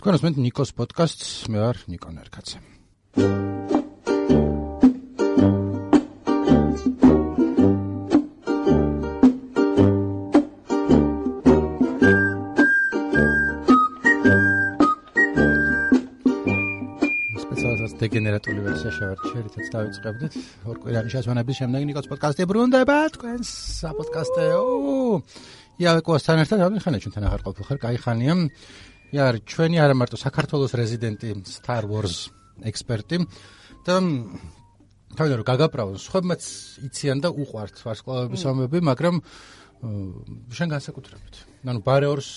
თქვენ უსმენთ ნიკოს პოდკასტს, მე ვარ ნიკო ნერკაცე. დეგენერატული ვერსია შევარჩიე, რითაც დავიწყებდით. ორ კვირიანი შესვენების შემდეგ ნიკოს პოდკასტი ბრუნდება თქვენს საპოდკასტეო. იავეკოსთან ერთად ამიხანე ჩვენთან აღარ ყოფილ ხარ, კაი ხანია. იარ ჩვენი არა მარტო საქართველოს რეზიდენტი Star Wars ექსპერტი და თავიდან რომ გაგაправოს, სხვებმაც იციან და უყვართ ვარსკვლავების ომები, მაგრამ შენ განსაკუთრებით. ანუ ბარეორს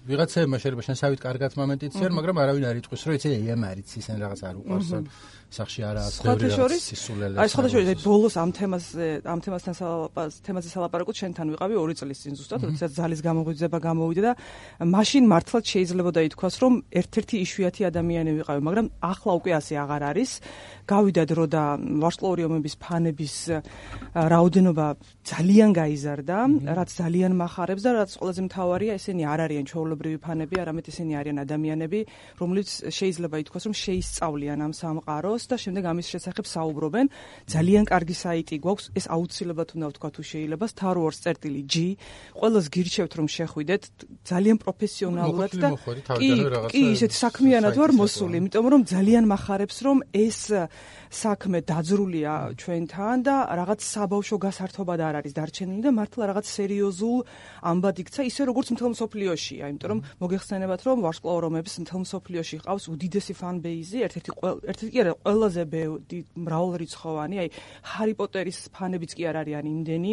ვიღაცებმა შეიძლება შენსავით კარგად მომენტი იციან, მაგრამ არავინ არ იტყვის, რომ იცი ემარიც ისენ რაღაც არ უყვარს. სახში არა ბევრი რაღაც სისულელე. აი სხვადასხვა ბოლოს ამ თემაზე სალაპარაკოთ შენთან ვიყავი 2 წლის წინ ზუსტად, როდესაც ძალის გამოღვიძება გამოვიდა და მაშინ მართლაც შეიძლებოდა ითქვას, რომ ერთ-ერთი იშვიათი ადამიანი ვიყავი, მაგრამ ახლა უკვე ასე აღარ არის. გავიდა დრო და ვარსკვლავური ომების ფანების რაოდენობა ძალიან გაიზარდა, რაც ძალიან მახარებს და რაც ყველაზე მთავარია, ესენი არ არიან ჩვეულებრივი ფანები, არამედ ესენი არიან ადამიანები, რომლებიც შეიძლება ითქვას, რომ შეისწავლიან ამ სამყაროს და შემდეგ ამის შესახებ საუბრობენ. ძალიან კარგი საიტი გვაქვს, ეს აუცილებლად უნდა ვთქვა თუ შეიძლება, Star Wars.g. ყველას გირჩევთ რომ შეხვიდეთ, ძალიან პროფესიონალურად და კი, ისეთი საქმიანად ვარ მოსული, იმიტომ რომ ძალიან მახარებს რომ ეს საქმე დაძრულია ჩვენთან და რაღაც საბავშვო გასართობად არ არის დარჩენილი და მართლა რაღაც სერიოზულ ამბად იქცა, ისე როგორც მთელ მსოფლიოშია, იმიტომ რომ მოგეხსენებათ რომ ვარსკვლავურ ომებს მთელ მსოფლიოში ყავს უდიდესი ფან-ბეიზი, ერთ-ერთი კი არა, ყველაზე მრავალრიცხოვანი, აი ჰარი პოტერის ფანებიც კი არ არიან იმდენი,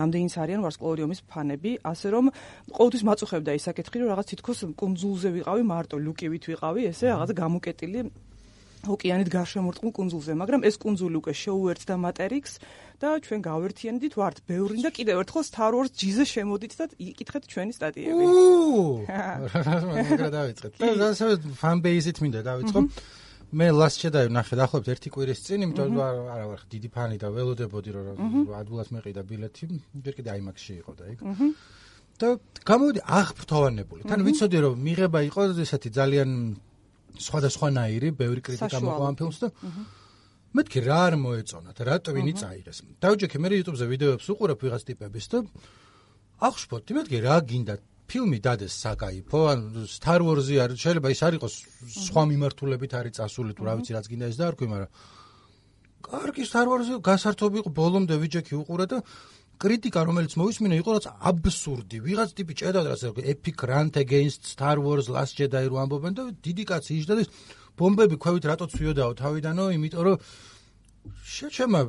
რამდენიც არიან ვარსკვლავური ომის ფანები, ასე რომ ყოველთვის მაწუხებდა ის საკითხი, რომ რაღაც თითქოს კუნძულზე ვიყავი, მარტო ლუკივით ვიყავი, ესე რაღაც გამოკეტილი ოკეანით გარშემორტყმულ კუნძულზე, მაგრამ ეს კუნძული უკვე შეუერთდა მატერიკს და ჩვენ გავერთიანდით ვართ ბევრი და კიდევ ერთხელ Star Wars G-ზე შემოდით და იკითხეთ ჩვენი სტატიები. რა დავიწყეთ? და ასე ფან-ბეიზით მინდა დავიწყო. მე Last Jedi ვნახე დაახლოებით 1 კვირის წინ, იმიტომ რომ არა ვარ დიდი ფანი და ველოდებოდი რომ ადვილად მეყიდა ბილეთი, ჯერ კიდე IMAX-ში იყო და იქ. და გამოვიდი აღფრთოვანებული. თან ვიცოდი რომ მიღება იყო ესეთი ძალიან სხვადასხვანაირი, ბევრი კრიტიკა მოყვა ამ ფილმს და მეთქი რა არ მოეწონათ, რა ტვინი წაიღეს. დავჯექე მე YouTube-ზე ვიდეოებს უყურებ ვიღაც ტიპების და აღშფოთდი, მეთქი რა გინდა ფილმი დადეს საკაიფო, ან Star Wars-ი არ შეიძლება ის არ იყოს სხვა მიმართულებით არის წასული თუ რა ვიცი რაც გინდა ეს დაარქვი, მაგრამ კარგი Star Wars-ი გასართობი იყო, ბოლომდე ვიჯექი უყურე და კრიტიკა რომელიც მოვისმინე იყო რაც აბსურდი. ვიღაც ტიპი ჭედავდა რაც epic rant against Star Wars Last Jedi რო ამბობენ და დიდი კაცი იჯდა და ბომბები ქვევით რატო ცვიოდაო თავიდანო, იმიტომ რომ შეჩემა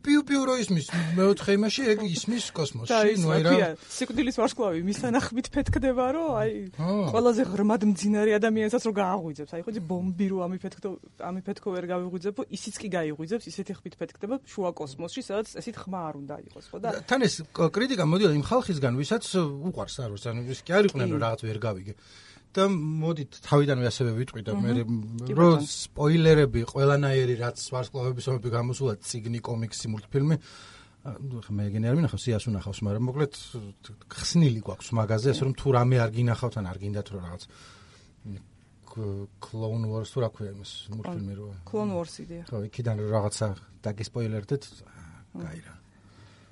პიუ-პიუ რო ისმის მეოთხე იმაში ეგ ისმის კოსმოსში, ნუ აი რა სიკვდილის ვარსკვლავი მის თანახმით ფეთქდება, რომ აი ყველაზე ღრმად მძინარე ადამიანსაც რო გააღვიძებს, აი ხო ბომბი რო ამიფეთქო ვერ გავიღვიძებო, ისიც კი გაიღვიძებს, ისეთი ხმით ფეთქდება შუა კოსმოსში, სადაც ესეთ ხმა არ უნდა იყოს, ხო და თან ეს კრიტიკა მოდიოდა იმ ხალხისგან, ვისაც უყვარს არ ვარ, ანუ ის კი არ იყვნენ რომ რაღაც ვერ გავიგე. და მოდით თავიდანვე ასევე ვიტყვი და მე რომ სპოილერები ყველანაირი რაც ვარსკვლავების ომები გამოსულა ციგნი, კომიქსი, მულტფილმი მე ეგენი არ მინახავს, სიას უნახავს, მაგრამ მოკლედ ხსნილი გვაქვს მაგაზე, ასე რომ თუ რამე არ გინახავთ ან არ გინდათ რომ რაღაც Clone Wars თუ რა ქვია იმას მულტფილმი რო Clone Wars იდეა. ხო, იქიდან რაღაცა დაგისპოილერდეთ, გაირა.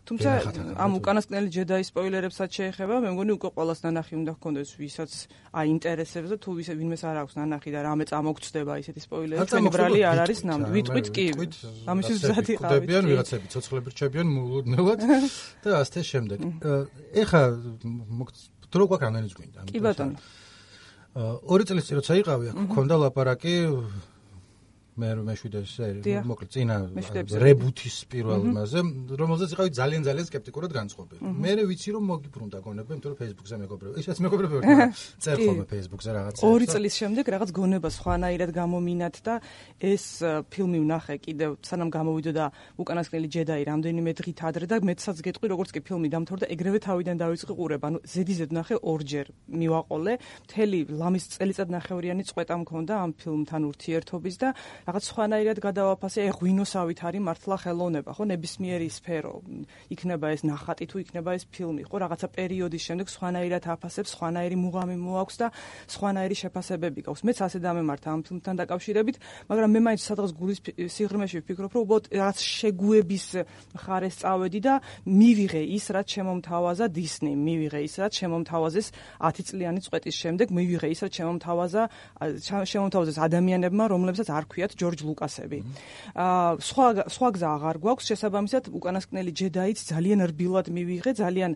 თუმცა ამ უკანასკნელი ჯედაის სპოილერებსაც შეეხება, მე მგონი უკვე ყველას ნანახი უნდა ჰქონდეს, ვისაც აინტერესებს და თუ ვინმეს არ აქვს ნანახი და რამე წამოგწდება ისეთი სპოილერი, ჩვენი ბრალი არ არის ნამდვილად. ვიტყვით კი. ამისთვის მზად იყავით. დებიან ვიღაცები ცოცხლები რჩებიან მუდმივად და ასე შემდეგ. ეხა დრო გვაქვს რამდენი გვინდა? კი ბატონო. 2 წლის წინ როცა იყავი, აქ მქონდა ლაპარაკი მე მეშვიდე მოკლედ წინა რებუთის პირველ იმაზე, რომელზეც იყავი ძალიან სკეპტიკურად განწყობილი. მე ვიცი რომ მოგიბრუნდა გონება, იმიტომ რომ Facebook-ზე მეგობრები, ისაც მეგობრები წერ ხოლმე Facebook-ზე რაღაცა. 2 წლის შემდეგ რაღაც გონება სხვანაირად გამომინათ და ეს ფილმი ვნახე კიდევ სანამ გამოვიდოდა უკანასკნელი ჯედაი რამდენიმე დღით ადრე და მეცაც გეტყვი როგორც კი ფილმი დამთავრდა, ეგრევე თავიდან დავიწყე ყურება. ანუ ზედიზედ ვნახე 2ჯერ მივაყოლე. მთელი ლამის წელიწად ნახევრიანი წვეტა მქონდა ამ ფილმთან ურთიერთობის და რაღაც სხვანაირად გადავაფასე, აი ღვინოსავით არის მართლა ხელოვნება, ხო, ნებისმიერი სფერო, იქნება ეს ნახატი თუ იქნება ეს ფილმი, ხო, რაღაცა პერიოდის შემდეგ სხვანაირად აფასებს, სხვანაირი მუღამი მოაქვს და სხვანაირი შეფასებები გაქვს. მეც ასე დამემართა ამ ფილმთან დაკავშირებით, მაგრამ მე მაინც სადღაც გულის სიღრმეში ვფიქრობ, რომ უბრალოდ რაღაც შეგუების მხარეს წავედი და მივიღე ის, რაც შემომთავაზა დისნიმ, მივიღე ის, რაც შემომთავაზეს 10 წლიანი წვეტის შემდეგ, მივიღე ის, რაც შემომთავაზეს ადამიანებმა, რომლებსაც არ ქვიათ ჯორჯ ლუკასები. სხვა გზა აღარ გვაქვს, შესაბამისად, უკანასკნელი ჯედაიც ძალიან რბილად მივიღე, ძალიან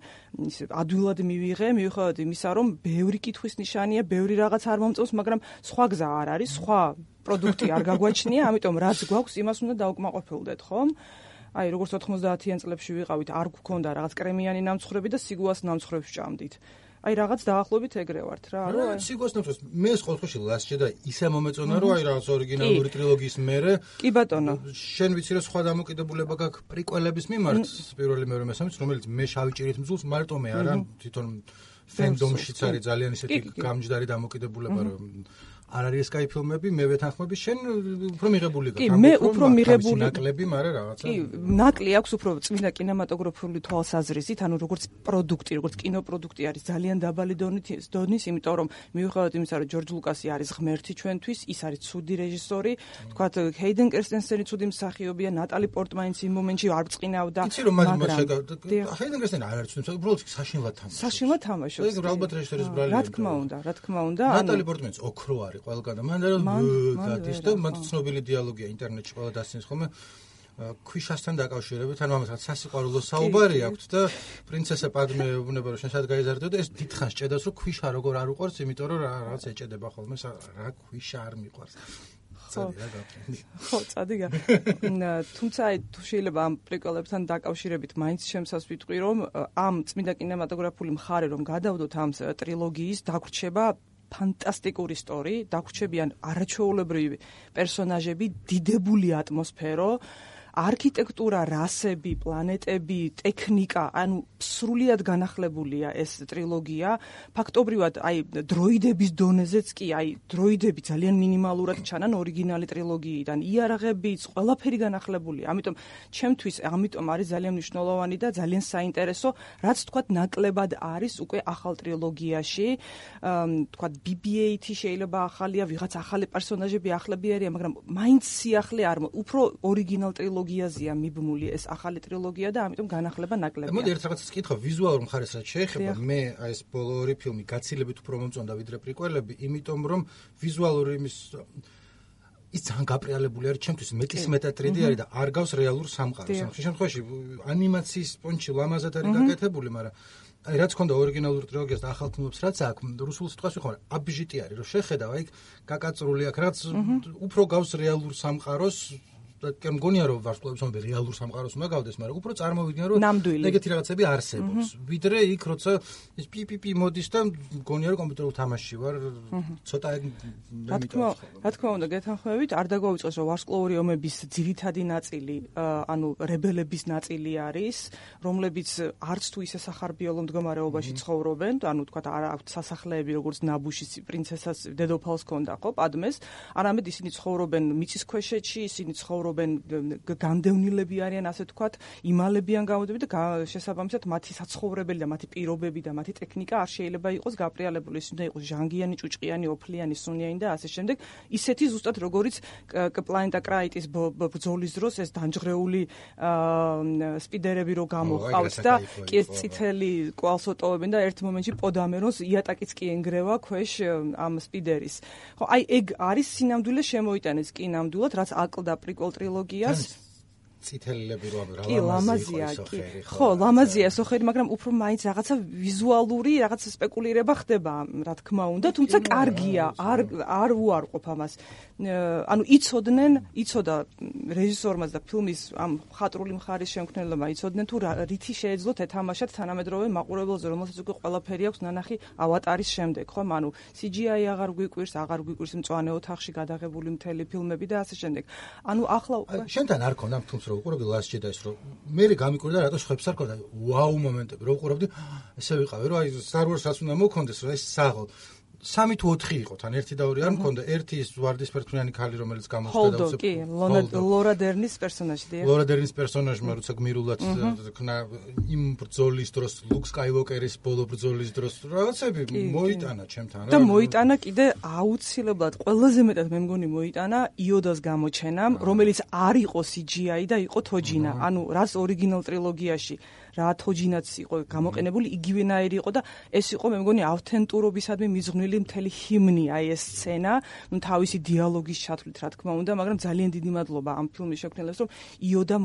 ადვილად მივიღე, მიუხედავად იმისა, რომ ბევრი კითხვის ნიშანია, ბევრი რაღაც არ მომწონს, მაგრამ სხვა გზა არ არის, სხვა პროდუქტი არ გაგვაჩნია, ამიტომ რაც გვაქვს, იმას უნდა დაუკმაყოფილდეთ, ხომ? აი, როგორც 90-იან წლებში ვიყავით, არ გვქონდა რაღაც კრემიანი ნამცხრები და სიგუას ნამცხრებს ჭამდით. აი, რაღაც დაახლოებით ეგრე ვართ რა, რომ სიგუას ნამცხრებს მე ყოველთვის Last Jedi ისე მომეწონა, რომ აი რაღაც ორიგინალური ტრილოგიის მერე. კი ბატონო. შენ ვიცი რომ სხვა დამოკიდებულება გაქვს პრიკველების მიმართ, პირველი, მეორე, მესამეც, რომელიც მე შავი ჭირით მძულს მარტომე არა, თვითონ ფენდომშიც არის ძალიან ისეთი გამჯდარი დამოკიდებულება, რომ არ არის ეს კაი ფილმები, მე ვეთანხმები, შენ უფრო მიღებული გაქვს. კი, მე უფრო მიღებული ნაკლები, მაგრამ რაღაცა. კი, ნაკლი აქვს უფრო წმინდა კინემატოგრაფიული თვალსაზრისით, ანუ როგორც პროდუქტი, როგორც კინოპროდუქტი არის ძალიან დაბალი დონის, იმიტომ რომ მიუხედავად იმისა, რომ ჯორჯ ლუკასი არის ღმერთი ჩვენთვის, ის არის ცუდი რეჟისორი, თქვათ ჰეიდენ კერსტენსენი ცუდი მსახიობია, ნატალი პორტმანიც იმ მომენტში არ ბრწყინავდა. იცი რომ ჰეიდენ კერსტენი არ არის ცუდი, უბრალოდ საშინლად თამაშობს. საშინლად თამაშობს. ეს ალბათ რეჟისორის ბრალი. რა თქმა უნდა. ნატალი პორტმანიც ოქრო არის ყველგან და მან დადის და მან ცნობილი დიალოგია ინტერნეტში ყველა დასცინეს ხოლმე ქვიშასთან დაკავშირებით, ანუ ამას სასიყვარულო საუბარი აქვს და პრინცესა პადმე უნება რომ შენ სად გაიზარდო და ეს დიდხანს ჭედავს რომ ქვიშა როგორ არ უყვარს, იმიტომ რომ რაღაც ეჭედება ხოლმე რა ქვიშა არ მიყვარს. ხო, წადიგა. თუმცა თუ შეიძლება ამ პრიკველებთან დაკავშირებით მაინც შემსას ვიტყვი რომ ამ წმინდა კინემატოგრაფიული მხარე რომ გადავდოთ ამ ტრილოგიის დაგვრჩება ფანტასტიკური ისტორი, დაგვრჩებიან არაჩვეულებრივი პერსონაჟები, დიდებული ატმოსფერო, არქიტექტურა, რასები, პლანეტები, ტექნიკა, ანუ სრულიად განახლებულია ეს ტრილოგია. ფაქტობრივად, აი, დროიდების დონეზეც კი, აი, დროიდები ძალიან მინიმალურად ჩანან ორიგინალი ტრილოგიიდან. იარაღებიც, ყველაფერი განახლებულია. ამიტომ ჩემთვის ამიტომ არის ძალიან მნიშვნელოვანი და ძალიან საინტერესო, რაც თქვათ ნაკლებად არის უკვე ახალ ტრილოგიაში. თქვათ BB-8 შეიძლება ახალია, ვიღაც ახალი პერსონაჟები ახლები არიან, მაგრამ მაინც სიახლე არ უფრო ორიგინალ ტრილოგიაზეა მიბმული ეს ახალი ტრილოგია და ამიტომ განახლება ნაკლებია. მოდი ერთ რაღაცას კითხო, ვიზუალურ მხარეს რაც შეეხება, მე აი ეს ბოლო ორი ფილმი გაცილებით უფრო მომწონდა ვიდრე პრიკველები, იმიტომ რომ ვიზუალური ის ძალიან გაპრიალებული არის, ჩემთვის მეტისმეტად 3D არის და არ გავს რეალურ სამყაროს. ამ შემთხვევაში ანიმაციის პონჩი ლამაზად არის გაკეთებული, მაგრამ აი რაც ქონდა ორიგინალურ ტრილოგიას და ახალ ფილმებს რაც აქვს, რუსულ სიტყვას ვიხმარ, აბჟიტი არის, რომ შეხედავ აი გაკაწრული აქვს, რაც უფრო გავს რეალურ სამყაროს. და მგონია რომ ვარსკვლავებს მომდე რეალურ სამყაროს უნდა გავდეს, მაგრამ უფრო წარმოვიდგინე რომ ეგეთი რაღაცები არსებობს. ვიდრე იქ როცა ეს პიპიპი მოდის და მგონია რომ კომპიუტერულ თამაშში ვარ, ცოტა რა თქმა უნდა, გეთანხმებით, არ დაგვაუწყოს რომ ვარსკვლავური ომების ძირითადი ნაწილი, ანუ რებელების ნაწილი არის, რომლებიც არც თუ ისე სახარბიელო მდგომარეობაში ცხოვრობენ, ანუ თქვა არ აქვთ სასახლეები როგორც ნაბუშის პრინცესას დედოფალს ჰქონდა, ხო, პადმეს, არამედ ისინი ცხოვრობენ მიწისქვეშეთში, ისინი განდევნილები არიან, ასე თქვათ, იმალებიან გამოდები და შესაბამისად მათი საცხოვრებელი და მათი პირობები და მათი ტექნიკა არ შეიძლება იყოს გაპრიალებული, ის უნდა იყოს ჟანგიანი, ჭუჭყიანი, ოფლიანი, სუნიანი და ასე შემდეგ. ისეთი ზუსტად როგორიც პლანეტა კრაიტის ბრძოლის დროს ეს დამჯღრეული სპიდერები რო გამოყავს და კი წითელი კვალს ოტოვებენ და ერთ მომენტში პოდამეროს იატაკიც კი ენგრევა ქვეშ ამ სპიდერის. ხო, აი ეგ არის სინამდვილე შემოიტანეს კი ნამდვილად, რაც აკლდა პრიკველ ტრილოგიას. წითელები რო კი, ლამაზია, კი. ხო, ლამაზია სოხერი, მაგრამ უფრო მაინც რაღაცა ვიზუალური, რაღაც სპეკულირება ხდება, რა თქმა უნდა, თუმცა კარგია, არ უარყოფ ამას. ანუ იცოდა რეჟისორმაც და ფილმის ამ ხატრული მხარის შემქმნელებმა იცოდნენ თუ რითი შეეძლოთ ეთამაშათ თანამედროვე მაყურებელზე, რომელსაც უკვე ყველაფერი აქვს ნანახი ავატარის შემდეგ, ხომ? ანუ CGI აღარ გვიკვირს მწვანე ოთახში გადაღებული მთელი ფილმები და ასე შემდეგ. ანუ ახლა უკვე შენთან არ ქონდა ფილმს რო უყურებდი Last Jedi-ს, რომ მე გამიკვირდა რატო ხვებს არ ქონდა. ვაუ მომენტები რო უყურებდი, ესე ვიყავი, რომ აი Star Wars-ს უნდა მოქონდეს, რომ ეს საღო 3 თუ 4 იყო თან ერთი და ორი არ მქონდა ერთი ის ვარდისფერფრიანი ქალი რომელიც გამოჩნდა და უცებ ლორა დერნის პერსონაჟია ლორა დერნის პერსონაჟმა როცა გმირულად ქნა იმ ბრძოლის დროს ლუკ სკაივოკერის ბოლო ბრძოლის დროს რაღაცები მოიტანა ჩემთან და მოიტანა კიდე აუცილებლად ყველაზე მეტად მე მგონი მოიტანა იოდას გამოჩენამ რომელიც არ იყო CGI და იყო თოჯინა ანუ რაც ორიგინალ ტრილოგიაში რა თოჯინაც იყო გამოყენებული იგივენაირი იყო და ეს იყო მე მგონი ავთენტურობისადმი მიზღვნილი მთელი ჰიმნი აი ეს სცენა ნუ თავისი დიალოგის ჩათვლით რა თქმა უნდა მაგრამ ძალიან დიდი მადლობა ამ ფილმის შექმნელებს რომ იოდა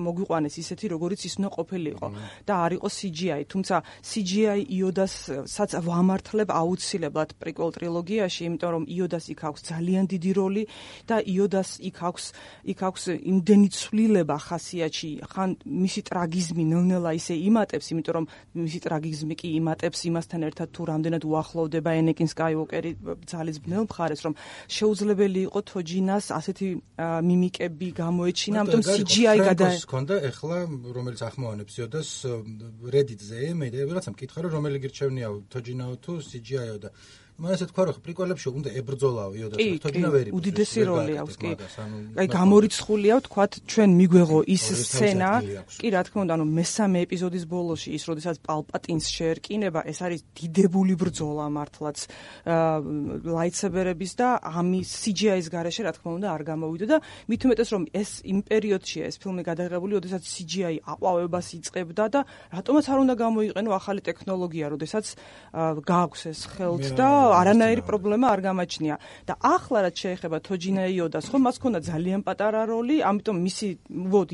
მოგვიყვანეს ისეთი როგორიც ის უნდა ყოფილიყო და არ იყო CGI თუმცა CGI იოდასაც ვამართლებ აუცილებლად პრიკველ ტრილოგიაში იმიტომ რომ იოდას იქ აქვს ძალიან დიდი როლი და იოდას იქ აქვს იმდენი ცვლილება ხასიათში ხან მისი ტრაგიზმი ნელ-ნელა ისე იმატებს, იმიტომ რომ მისი ტრაგიზმი კი იმატებს იმასთან ერთად თუ რამდენად უახლოვდება ენეკინ სკაივოკერი ძალის ბნელ მხარეს, რომ შეუძლებელი იყო თოჯინას ასეთი მიმიკები გამოეჩინა, ამიტომ CGI გადაეცა. ჰქონდა ეხლა რომელიც ახმოვანებს იოდას Reddit-ზე, მე რაღაცა მკითხა რომ რომელი გირჩევნია თოჯინაო თუ CGI-ო და მე ასე თქვა რომ პრიკველებში უნდა ებრძოლაო იოდას თოჯინა ვერ იბრძოლს. უდიდესი როლი აქვს კი. აი გამორიცხულია ვთქვათ ჩვენ მიგვეღო ის სცენა, კი რა თქმა უნდა, ანუ მესამე ეპიზოდის ბოლოში ის როდესაც პალპატინს შეერკინება, ეს არის დიდებული ბრძოლა მართლაც ლაიტსებერების და ამის CGI-ის გარეშე რა თქმა უნდა არ გამოვიდა და მით უმეტეს რომ ეს იმ პერიოდშია ეს ფილმი გადაღებული, როდესაც CGI აყვავებას იწყებდა და რატომაც არ უნდა გამოიყენო ახალი ტექნოლოგია, როდესაც გააქვს ეს ხელთ და არანაირი პრობლემა არ გამაჩნია და ახლა რაც შეეხება თოჯინა იოდას, ხო მას ქონდა ძალიან პატარა როლი, ამიტომ მისი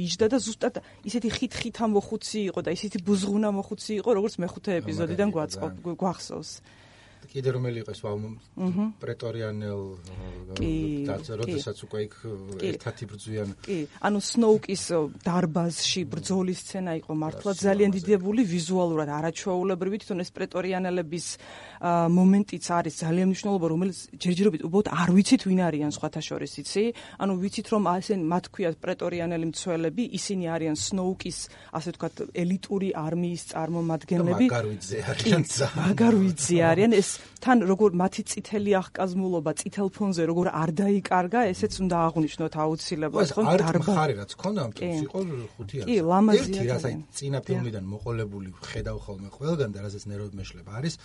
იჯდა და ზუსტად ისეთი ხით-ხითა მოხუცი იყო და ისეთი ბუზღუნა მოხუცი იყო, როგორც მეხუთე ეპიზოდიდან გვახსოვს. კიდე რომელი იყო ეს პრეტორიანელ როდესაც უკვე იქ ერთად იბრძვიან. კი, ანუ სნოუკის დარბაზში ბრძოლის სცენა იყო მართლა ძალიან დიდებული ვიზუალურად არაჩვეულებრივი თვითონ ეს პრეტორიანელების მომენტიც არის ძალიან მნიშვნელოვანი რომელიც ჯერჯერობით უბრალოდ არ ვიცით ვინ არიან სხვათა შორის იცი ანუ ვიცით რომ ასენ მათ ქვიათ პრეტორიანელი მცველები ისინი არიან სნოუკის ასე ვთქვათ ელიტური არმიის წარმომადგენლები მაგარვიძე არიან ეს თან როგორ მათი წითელი აღკაზმულობა წითელ ფონზე როგორ არ დაიკარგა ესეც უნდა აღვნიშნოთ აუცილებლად ხო დარბაზი რაც ქონდა ამ ფილმში იყო 500 კი ლამაზია ერთი რასაც წინა ფილმიდან მოყოლებული ხედავ ხოლმე ყველგან და რასაც ნერვად მეშლება არის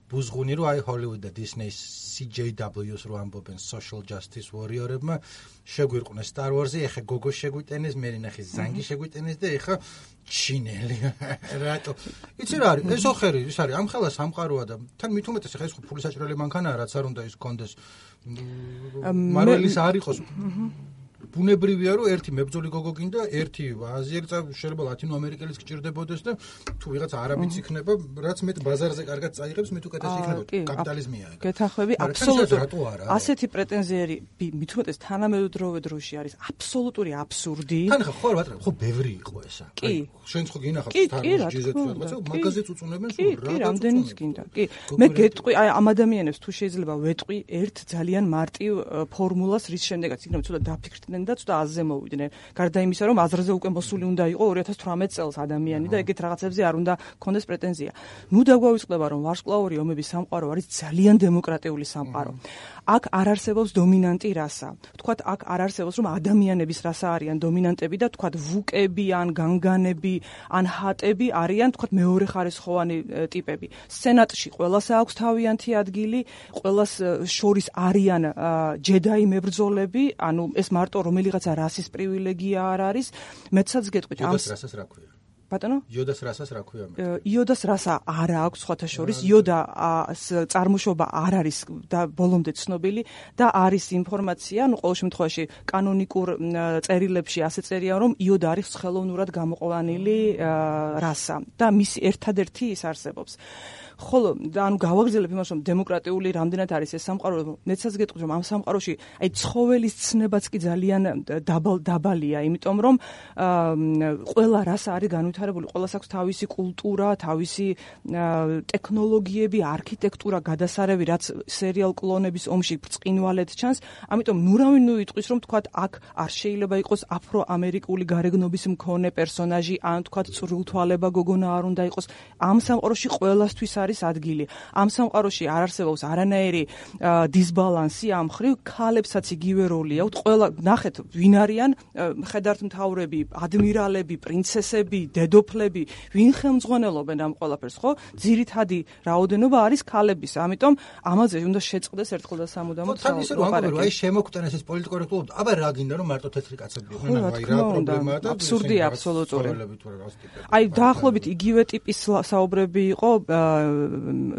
ბუზღუნი რო აი ჰოლივუდ და დისნეის CJW-ს რო ამბობენ social justice warrior-ებმა შეგვირყვნეს Star Wars-ი, ეხა გოგო შეგვიტენეს, მე ნახე ზანგი შეგვიტენეს და ეხა ჩინელი. რატო? იცი რა არის? ეს ოხერი, ის არის ამ ხელა სამყაროა და თან მით უმეტეს ეხა ეს ხო ფული საჭიროელი მანქანაა, რაც არ უნდა ის კონდეს. მარველის არ იყოს. ბუნებრივია რომ ერთი მებრძოლი გოგო გინდა, ერთი აზიელი შეიძლება ლათინო ამერიკელის გჭირდებოდეს და თუ ვიღაც არაბიც იქნება, რაც მეტ ბაზარზე კარგად წაიღებს, მეტ უკეთესი იქნება. კაპიტალიზმია ეგ. გეთანხმები აბსოლუტურად. ასეთი პრეტენზიები მით უმეტეს თანამედროვე დროში არის აბსოლუტური აბსურდი. თან ხო რა ხო ბევრი იყო ესა. შენც ხო გინახავს თარგმანში რაღაცა, მაგაზეც უწუნებენ სულ რა. კი, რამდენიც გინდა. კი. მე გეტყვი აი ამ ადამიანებს თუ შეიძლება ვეტყვი ერთ ძალიან მარტივ ფორმულას რის შემდეგაც იქნება ცოტა დაფიქრდნენ და ცოტა აზზე მოვიდნენ. გარდა იმისა, რომ აზრზე უკვე მოსული უნდა იყო 2018 წელს ადამიანი და ეგეთ რაღაცებზე არ უნდა კონდეს პრეტენზია. ნუ დაგვავიწყდება, რომ ვარსკვლავური ომების სამყარო არის ძალიან დემოკრატიული სამყარო. აქ არ არსებობს დომინანტი რასა. ვთქვათ, აქ არ არსებობს, რომ ადამიანების რასა არიან დომინანტები და ვთქვათ, ვუკები ან განგანები ან ჰატები არიან, ვთქვათ, მეორეხარისხოვანი ტიპები. სენატში ყველას აქვს თავიანთი ადგილი, ყველას შორის არიან ჯედაი მებრძოლები, ანუ ეს მარტო რომელიღაცა რასის პრივილეგია არ არის. მეცაც გეტყვით ამ რასას რა ქვია? ბატონო? იოდას რასას რა ქვია? იოდას რასა არ აქვს სხვათა შორის. იოდა წარმოშობა არ არის და ბოლომდე ცნობილი და არის ინფორმაცია, ну ყოველ შემთხვევაში კანონიკურ წერილებში ასე წერია, რომ იოდა არის ხელოვნურად გამოყვანილი რასა და მისი ერთადერთი ის არსებობს. ხოლო ანუ გავაგრძელებ იმას რომ დემოკრატიული რამდენად არის ეს სამყარო მეცაც გეტყვით რომ ამ სამყაროში აი ცხოველის ცნებაც კი ძალიან დაბალია იმიტომ რომ ყველა რასა არის განვითარებული ყველას აქვს თავისი კულტურა თავისი ტექნოლოგიები არქიტექტურა გადასარევი რაც სერიალ კლონების ომში ბრწყინვალედ ჩანს ამიტომ ნურავინ ნუ იტყვის რომ თქვათ აქ არ შეიძლება იყოს აფრო-ამერიკული გარეგნობის მქონე პერსონაჟი ან თქვათ წვრილთვალება გოგონა არ უნდა იყოს ამ სამყაროში ყველასთვის არის ადგილი. ამ სამყაროში არ არსებობს არანაირი დისბალანსი ამ მხრივ, ქალებსაც იგივე როლი აქვთ. ყველა ნახეთ, ვინ არიან მხედართმთავრები, ადმირალები, პრინცესები, დედოფლები, ვინ ხელმძღვანელობენ ამ ყველაფერს, ხო? ძირითადი რაოდენობა არის ქალების. ამიტომ ამაზე უნდა შეწყდეს ერთხელ და სამუდამოდ საუბარი. აი შემოგვტანეს ეს პოლიტკორექტულობა. აბა რა გინდა რომ მარტო თეთრი კაცები იყვნენ, აი რა პრობლემაა და აბსურდია აბსოლუტური. აი დაახლოებით იგივე ტიპის საუბრები იყო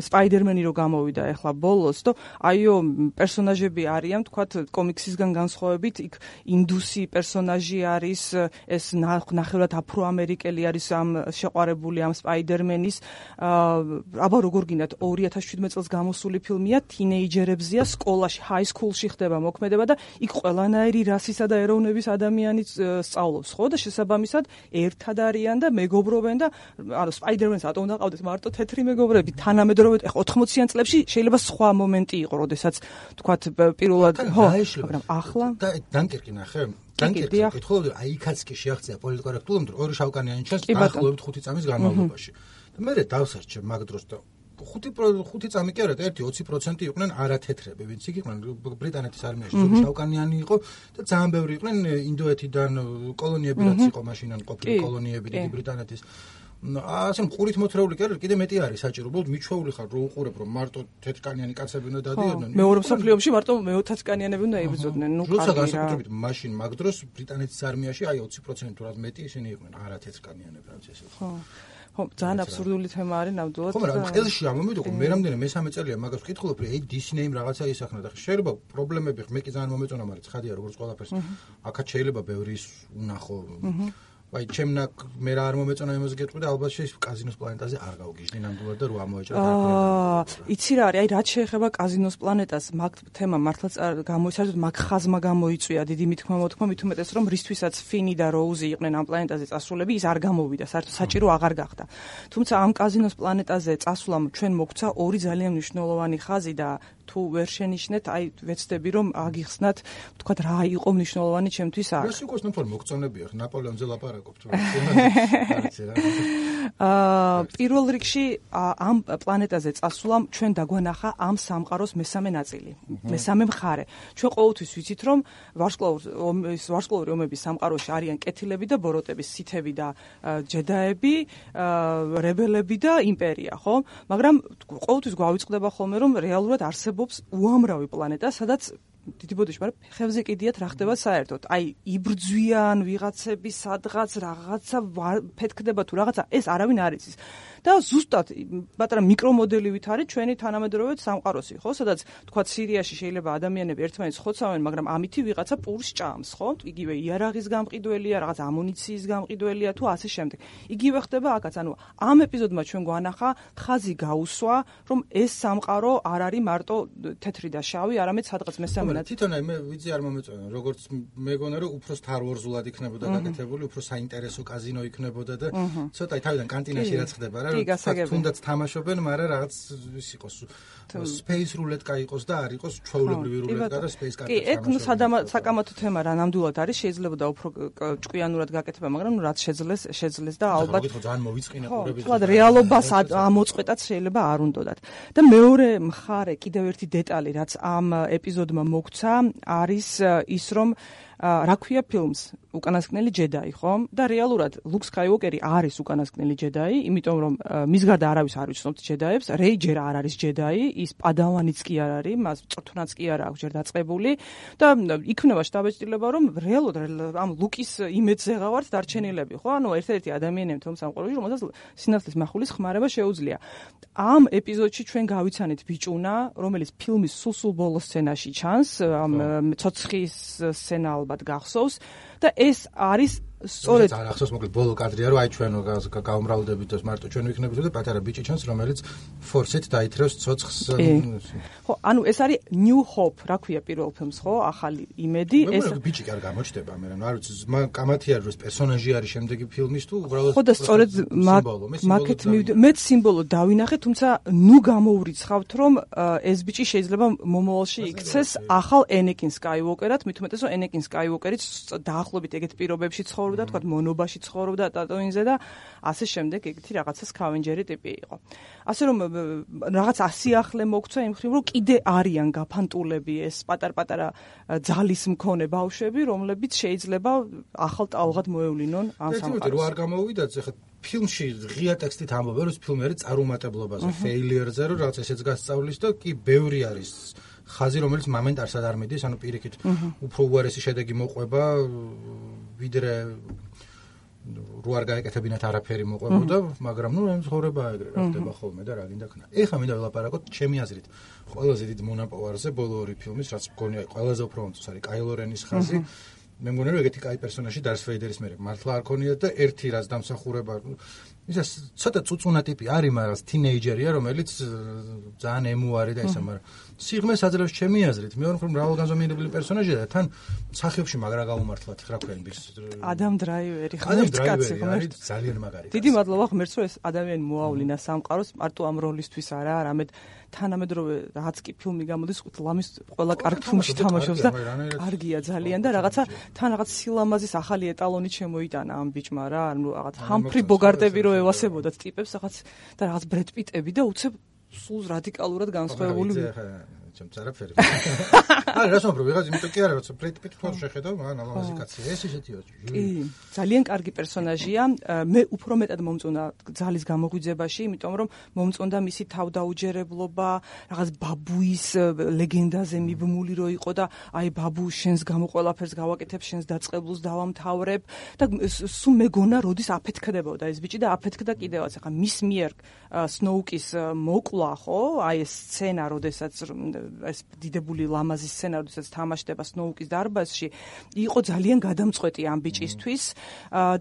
სპაიდერმენი რო გამოვიდა ახლა ბოლოს და აიო პერსონაჟები არიან, თქვათ კომიქსისგან განსხვავებით, იქ ინდუსი პერსონაჟი არის, ეს ნახევრად აფროამერიკელი არის ამ შეყვარებული ამ სპაიდერმენის. აბა როგორ გინდათ 2017 წელს გამოსული ფილმია, თინეიჯერებზია, სკოლაში, ჰაი-სკულში ხდება მოქმედება და იქ ყველანაირი რასისა და ეროვნების ადამიანი სწავლობს, ხო? და შესაბამისად ერთად არიან და მეგობრობენ და ანუ სპაიდერმენს რატომ უნდა ყავდეს მარტო თეთრი მეგობრები? თანამედროვე 80-იან წლებში შეიძლება სხვა მომენტი იყო, როდესაც თქვათ პირველად ხო, მაგრამ ახლა დანკერკი ნახე. დანკერკი კითხულობდი, აი იქაც კი შეაღწია პოლიტკორექტულობამ, ორი შავკანიანი ჩანს დაახლოებით 5 წამის განმავლობაში. და მე დავსარჩე მაგ დროს და 5 წამი კი არა, 1-20% იყვნენ არათეთრები, ვინც იქ იყვნენ ბრიტანეთის არმიაში, ზოგი შავკანიანი იყო და ძალიან ბევრი იყვნენ ინდოეთიდან კოლონიები, რაც იყო მაშინ ან ყოფილი კოლონიები დიდი ბრიტანეთის. ასე მყურით მოთრეული კი არა, კიდე მეტი არის საჭირო, უბრალოდ მიჩვეული ხარ რომ უყურებ რომ მარტო თეთრკანიანი კაცები უნდა დადიოდნენ. მეორე მსოფლიოში მარტო მეოთათკანიანები უნდა იბრძოდნენ, ნუ კარგი რა. განსაკუთრებით მაშინ მაგ დროს ბრიტანეთის არმიაში აი 20% თუ რაც მეტი ისინი იყვნენ არათეთრკანიანები, რაც ესე. ხო, ძალიან აბსურდული თემა არის ნამდვილად. ხო, მაგრამ ყელში ამომიდოქო, მე რამდენი მესამე წელია მაგას ვკითხულობ, რომ აი დისნეიმ რაღაცა ისახნა და შეიძლება პრობლემები მე კი ძალიან მომეწონა, მაგრამ ცხადია როგორც ყველაფერს. აქაც შეიძლება ბევრი უნახო. აი ჩემნა მე რა არ მომეწონა იმას გეტყვი და ალბათ შეიძლება კაზინოს პლანეტაზე არ გავგიჟდი ნამდვილად და რო ამოეჭრა და იცი რა არის, აი რაც შეეხება კაზინოს პლანეტას, მაგ თემა მართლაც გამოიცარდეთ, მაგ ხაზმა გამოიწვია დიდი მithმა მით უმეტეს რომ რისთვისაც ფინი და როუზი იყვნენ ამ პლანეტაზე წასულები, ის არ გამოვიდა, საერთოდ საჭირო აღარ გახდა. თუმცა ამ კაზინოს პლანეტაზე წასვლამ ჩვენ მოგცა ორი ძალიან მნიშვნელოვანი ხაზი და თუ ვერ შენიშნეთ, აი ვეცდები რომ აგიხსნათ, თქვათ რა იყო მნიშვნელოვანი ჩემთვის აქ. ეს იყოს ნუ მოგწონებია, ნაპოლეონზე ლაპარაკობთ რა. პირველ რიგში ამ პლანეტაზე წასვლამ ჩვენ დაგვანახა ამ სამყაროს მესამე ნაწილი, მესამე მხარე. ჩვენ ყოველთვის ვიცით რომ ვარსკვლავური ომების სამყაროში არიან კეთილები და ბოროტები, სითები და ჯედაები, რებელები და იმპერია, ხო? მაგრამ ყოველთვის გვავიწყდება ხოლმე რომ რეალურად არსებობს უამრავი პლანეტა, სადაც დიდი ბოდიში, მაგრამ ხევზე კიდიათ რა ხდება საერთოდ. აი, იბრძვიან ვიღაცები სადღაც რაღაცა ფეთქდება თუ რაღაცა, ეს არავინ არ იცის. და ზუსტად პატარა მიკრომოდელივით არის ჩვენი თანამედროვე სამყაროსი, ხო? სადაც თქვა სირიაში შეიძლება ადამიანები ერთმანეთს ხოცავენ, მაგრამ ამითი ვიღაცა პურს ჭამს, ხო? იგივე იარაღის გამყიდველია, რაღაც ამუნიციის გამყიდველია თუ ასე შემდეგ. იგივე ხდება აქაც, ანუ ამ ეპიზოდმა ჩვენ გვანახა ხაზი გაუსვა, რომ ეს სამყარო არ არის მარტო თეთრი და შავი, არამედ სადღაც მესამე თვითონ აი მე ვიცი არ მომეწონა, როგორც მეგონა რომ უფრო Star Wars-ულად იქნებოდა გაკეთებული, უფრო საინტერესო კაზინო იქნებოდა და ცოტა თავიდან კანტინაში რაც ხდება რა, თუნდაც თამაშობენ, მაგრამ რაღაც ის იყოს Space Roulette-კა იყოს და არ იყოს ჩვეულებრივი რულეტკა და Space Card-კა. კი, ეგ ნუ საკამათო თემა რა ნამდვილად არის, შეიძლება და უფრო ჭკვიანურად გაკეთება, მაგრამ ნუ რაც შეძლეს და ალბათ ძალიან მოვიწყინა ყურების. ხო, რეალობას ამოწყვეტაც შეიძლება არ უნდოდათ. და მეორე მხარე, კიდევ ერთი დეტალი, რაც ამ ეპიზოდმა მოგცა, არის ის რომ რა ქვია ფილმს უკანასკნელი ჯედაი, ხო? და რეალურად ლუკ სკაიუოკერი არის უკანასკნელი ჯედაი, იმიტომ რომ მის გარდა არავის არ ვიცნობთ ჯედაებს, რეი ჯერ არ არის ჯედაი, ის პადავანიც კი არ არის, მას წრთუნაც კი არ აქვს ჯერ დაწყებული და იქნება შთაბეჭდილება რომ რეალურად ამ ლუკის იმედზე ღავართ დარჩენილები, ხო? ანუ ერთ-ერთი ადამიანები თომ სამყაროში, რომელსაც სინათლის მახვილის ხმარება შეუძლია. ამ ეპიზოდში ჩვენ გავიცანით ბიჭუნა, რომელიც ფილმის სულ ბოლოს სცენაში ჩანს, ამ ცოცხის სცენა ალბათ გახსოვს და ეს არის სწორედ არ ახსოვს, მოკლედ ბოლო კადრია, რომ აი ჩვენ გავუმრავლდებით და მარტო ჩვენ ვიქნებით და პატარა ბიჭი ჩანს, რომელიც ფორსით დაითრევს ცოცხს. ხო, ანუ ეს არის New Hope, რა ქვია პირველ ფილმს, ხო? ახალი იმედი, ეს ბიჭი კი არ გამოჩნდება, მე რა ვიცი, კამათი არის, რომ პერსონაჟი არის შემდეგი ფილმის თუ უბრალოდ ხო და სწორედ მაგეთ მეც სიმბოლო დავინახე, თუმცა ნუ გამოურიცხავთ, რომ ეს ბიჭი შეიძლება მომავალში იქცეს ახალ Anakin Skywalker-ად, მით უმეტეს რომ Anakin Skywalker-იც დაახლოებით ეგეთ პირობებში ცხოვრობს ცხოვრობდა, თქვა მონობაში ცხოვრობდა ტატუინზე და ასე შემდეგ, ეგეთი რაღაცა სკავენჯერი ტიპი იყო. ასე რომ რაღაც ასიახლე მოგცვა იმ ხრივ, რომ კიდე არიან გაფანტულები ეს პატარ-პატარა ძალის მქონე ბავშვები, რომლებიც შეიძლება ახალ ტალღად მოევლინონ ამ სამყაროს. რო არ გამოვიდათ, ეხლა ფილმში ღია ტექსტით ამბობენ, რომ ფილმი არის წარუმატებლობაზე, failure-ზე, რომ რაღაც ესეც გასწავლის და კი ბევრი არის ხაზი, რომელიც მომენტარსად არ მიდის, ანუ პირიქით უფრო უარესი შედეგი მოყვება, ვიდრე რო არ გაეკეთებინათ არაფერი მოყვებოდა, მაგრამ ნუ ცხოვრება ეგრე რა ხდება ხოლმე და რა გინდა ქნა. ეხლა მინდა ველაპარაკოთ ჩემი აზრით ყველაზე დიდ მონაპოვარზე ბოლო ორი ფილმის, რაც მგონია ყველაზე უფრო მომწონს არის კაილო რენის ხაზი. მე მგონია რომ ეგეთი კაი პერსონაჟი დარს ვეიდერის მერე მართლა არ ქონია და ერთი რაც დამსახურება ისა ცოტა წუწუნა ტიპი არის, მაგრამ თინეიჯერია, რომელიც ძალიან ემუარი და ისა, მაგრამ სიღრმეს აძლევს ჩემი აზრით. მეორე მხრივ მრავალგანზომიერებული პერსონაჟია და თან სახიობში მაგრა გაუმართლად რა ქვია ის ადამ დრაივერი ღმერთკაცი არის ძალიან მაგარი. დიდი მადლობა ღმერთს, რომ ეს ადამიანი მოავლინა სამყაროს მარტო ამ როლისთვის არა, არამედ თანამედროვე რაც კი ფილმი გამოდის, ლამის ყველა კარგ ფილმში თამაშობს და კარგია ძალიან და რაღაცა თან რაღაც სილამაზის ახალი ეტალონი შემოიტანა ამ ბიჭმა რა, ანუ რაღაც ჰამფრი ბოგარტები რო ევასებოდათ ტიპებს რაღაც და რაღაც ბრედ პიტები და უცებ სულ რადიკალურად განსხვავებული ჩემ წარაფერი. არა, რას ვამბობ, ვიღაც იმიტომ კი არა, როცა ბრედ პიტი თვითონ შეხედავ, მან ალამაზი კაცია. ეს ისეთია. კი, ძალიან კარგი პერსონაჟია. მე უფრო მეტად მომწონდა ძალის გამოღვიძებაში, იმიტომ რომ მომწონდა მისი თავდაუჯერებლობა, რაღაც ბაბუის ლეგენდაზე მიბმული რო იყო და აი ბაბუ შენს გამო ყველაფერს გავაკეთებ, შენს დაწყებულს დავამთავრებ და სულ მეგონა როდის აფეთქდებოდა ეს ბიჭი და აფეთქდა კიდევაც. ახლა მის მიერ სნოუკის მოკლა, ხო? აი ეს სცენა, როდესაც ეს დიდებული ლამაზი სცენა, როდესაც თამაშდება სნოუკის დარბაზში, იყო ძალიან გადამწყვეტი ამ ბიჭისთვის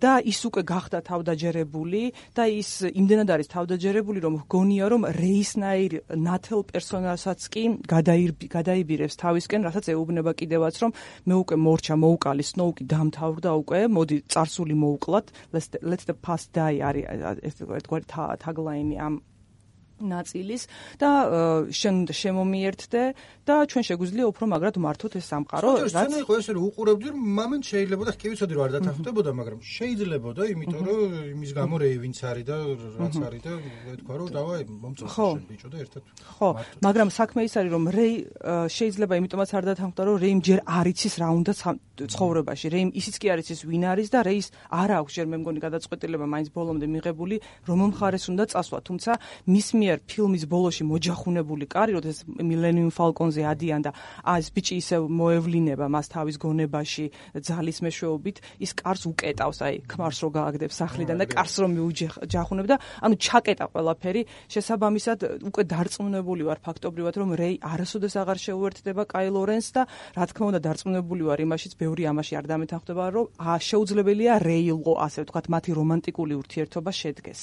და ის უკვე გახდა თავდაჯერებული და ის იმდენად არის თავდაჯერებული, რომ გონია, რომ რეისნაირ ნათელ პერსონაჟსაც კი გადაიბირებს თავისკენ, რასაც ეუბნება კიდევაც, რომ მე უკვე მორჩა, მოუკალი, სნოუკი დამთავრდა უკვე, მოდი წარსული მოუკლათ, let the past die არის ერთგვარი tagline ამ ნაწილის და შემომიერთდე და ჩვენ შეგვიძლია უფრო მაგრად მართოთ ეს სამყარო, რაც იყო ესე რომ უყურებდი რომ მომენტ შეიძლება და კი ვიცოდი რომ არ დათანხმდებოდა, მაგრამ შეიძლებოდა, იმიტომ რომ იმის გამო რეივინც არის და რაც არის და თქვა რომ დავაი მომწონს შენ ბიჭო და ერთად. ხო, მაგრამ საქმე ის არის რომ რეი შეიძლება იმიტომაც არ დათანხმდა რომ რეიმ ჯერ არ იცის რა უნდა ცხოვრებაში. რეიმ ისიც კი არ იცის ვინ არის და რეის არ აქვს ჯერ მე მგონი გადაწყვეტილება მაინც ბოლომდე მიღებული რომ მხარეს უნდა წასვლა, თუმცა მის ფილმის ბოლოში მოჯახუნებული კარი, როდესაც მილენიუმ ფალკონზე ადიან და ეს ბიჭი ისევ მოევლინება მას თავის გონებაში ძალის მეშვეობით, ის კარს უკეტავს, აი ქმარს რო გააგდებს სახლიდან და კარს რო მიუჯახუნებ და ანუ ჩაკეტა ყველაფერი, შესაბამისად უკვე დარწმუნებული ვარ ფაქტობრივად, რომ რეი არასოდეს აღარ შეუერთდება კაილო რენს და რა თქმა უნდა დარწმუნებული ვარ იმაშიც, ბევრი ამაში არ დამეთანხმდება, რომ შეუძლებელია რეილო, ასე ვთქვათ, მათი რომანტიკული ურთიერთობა შედგეს.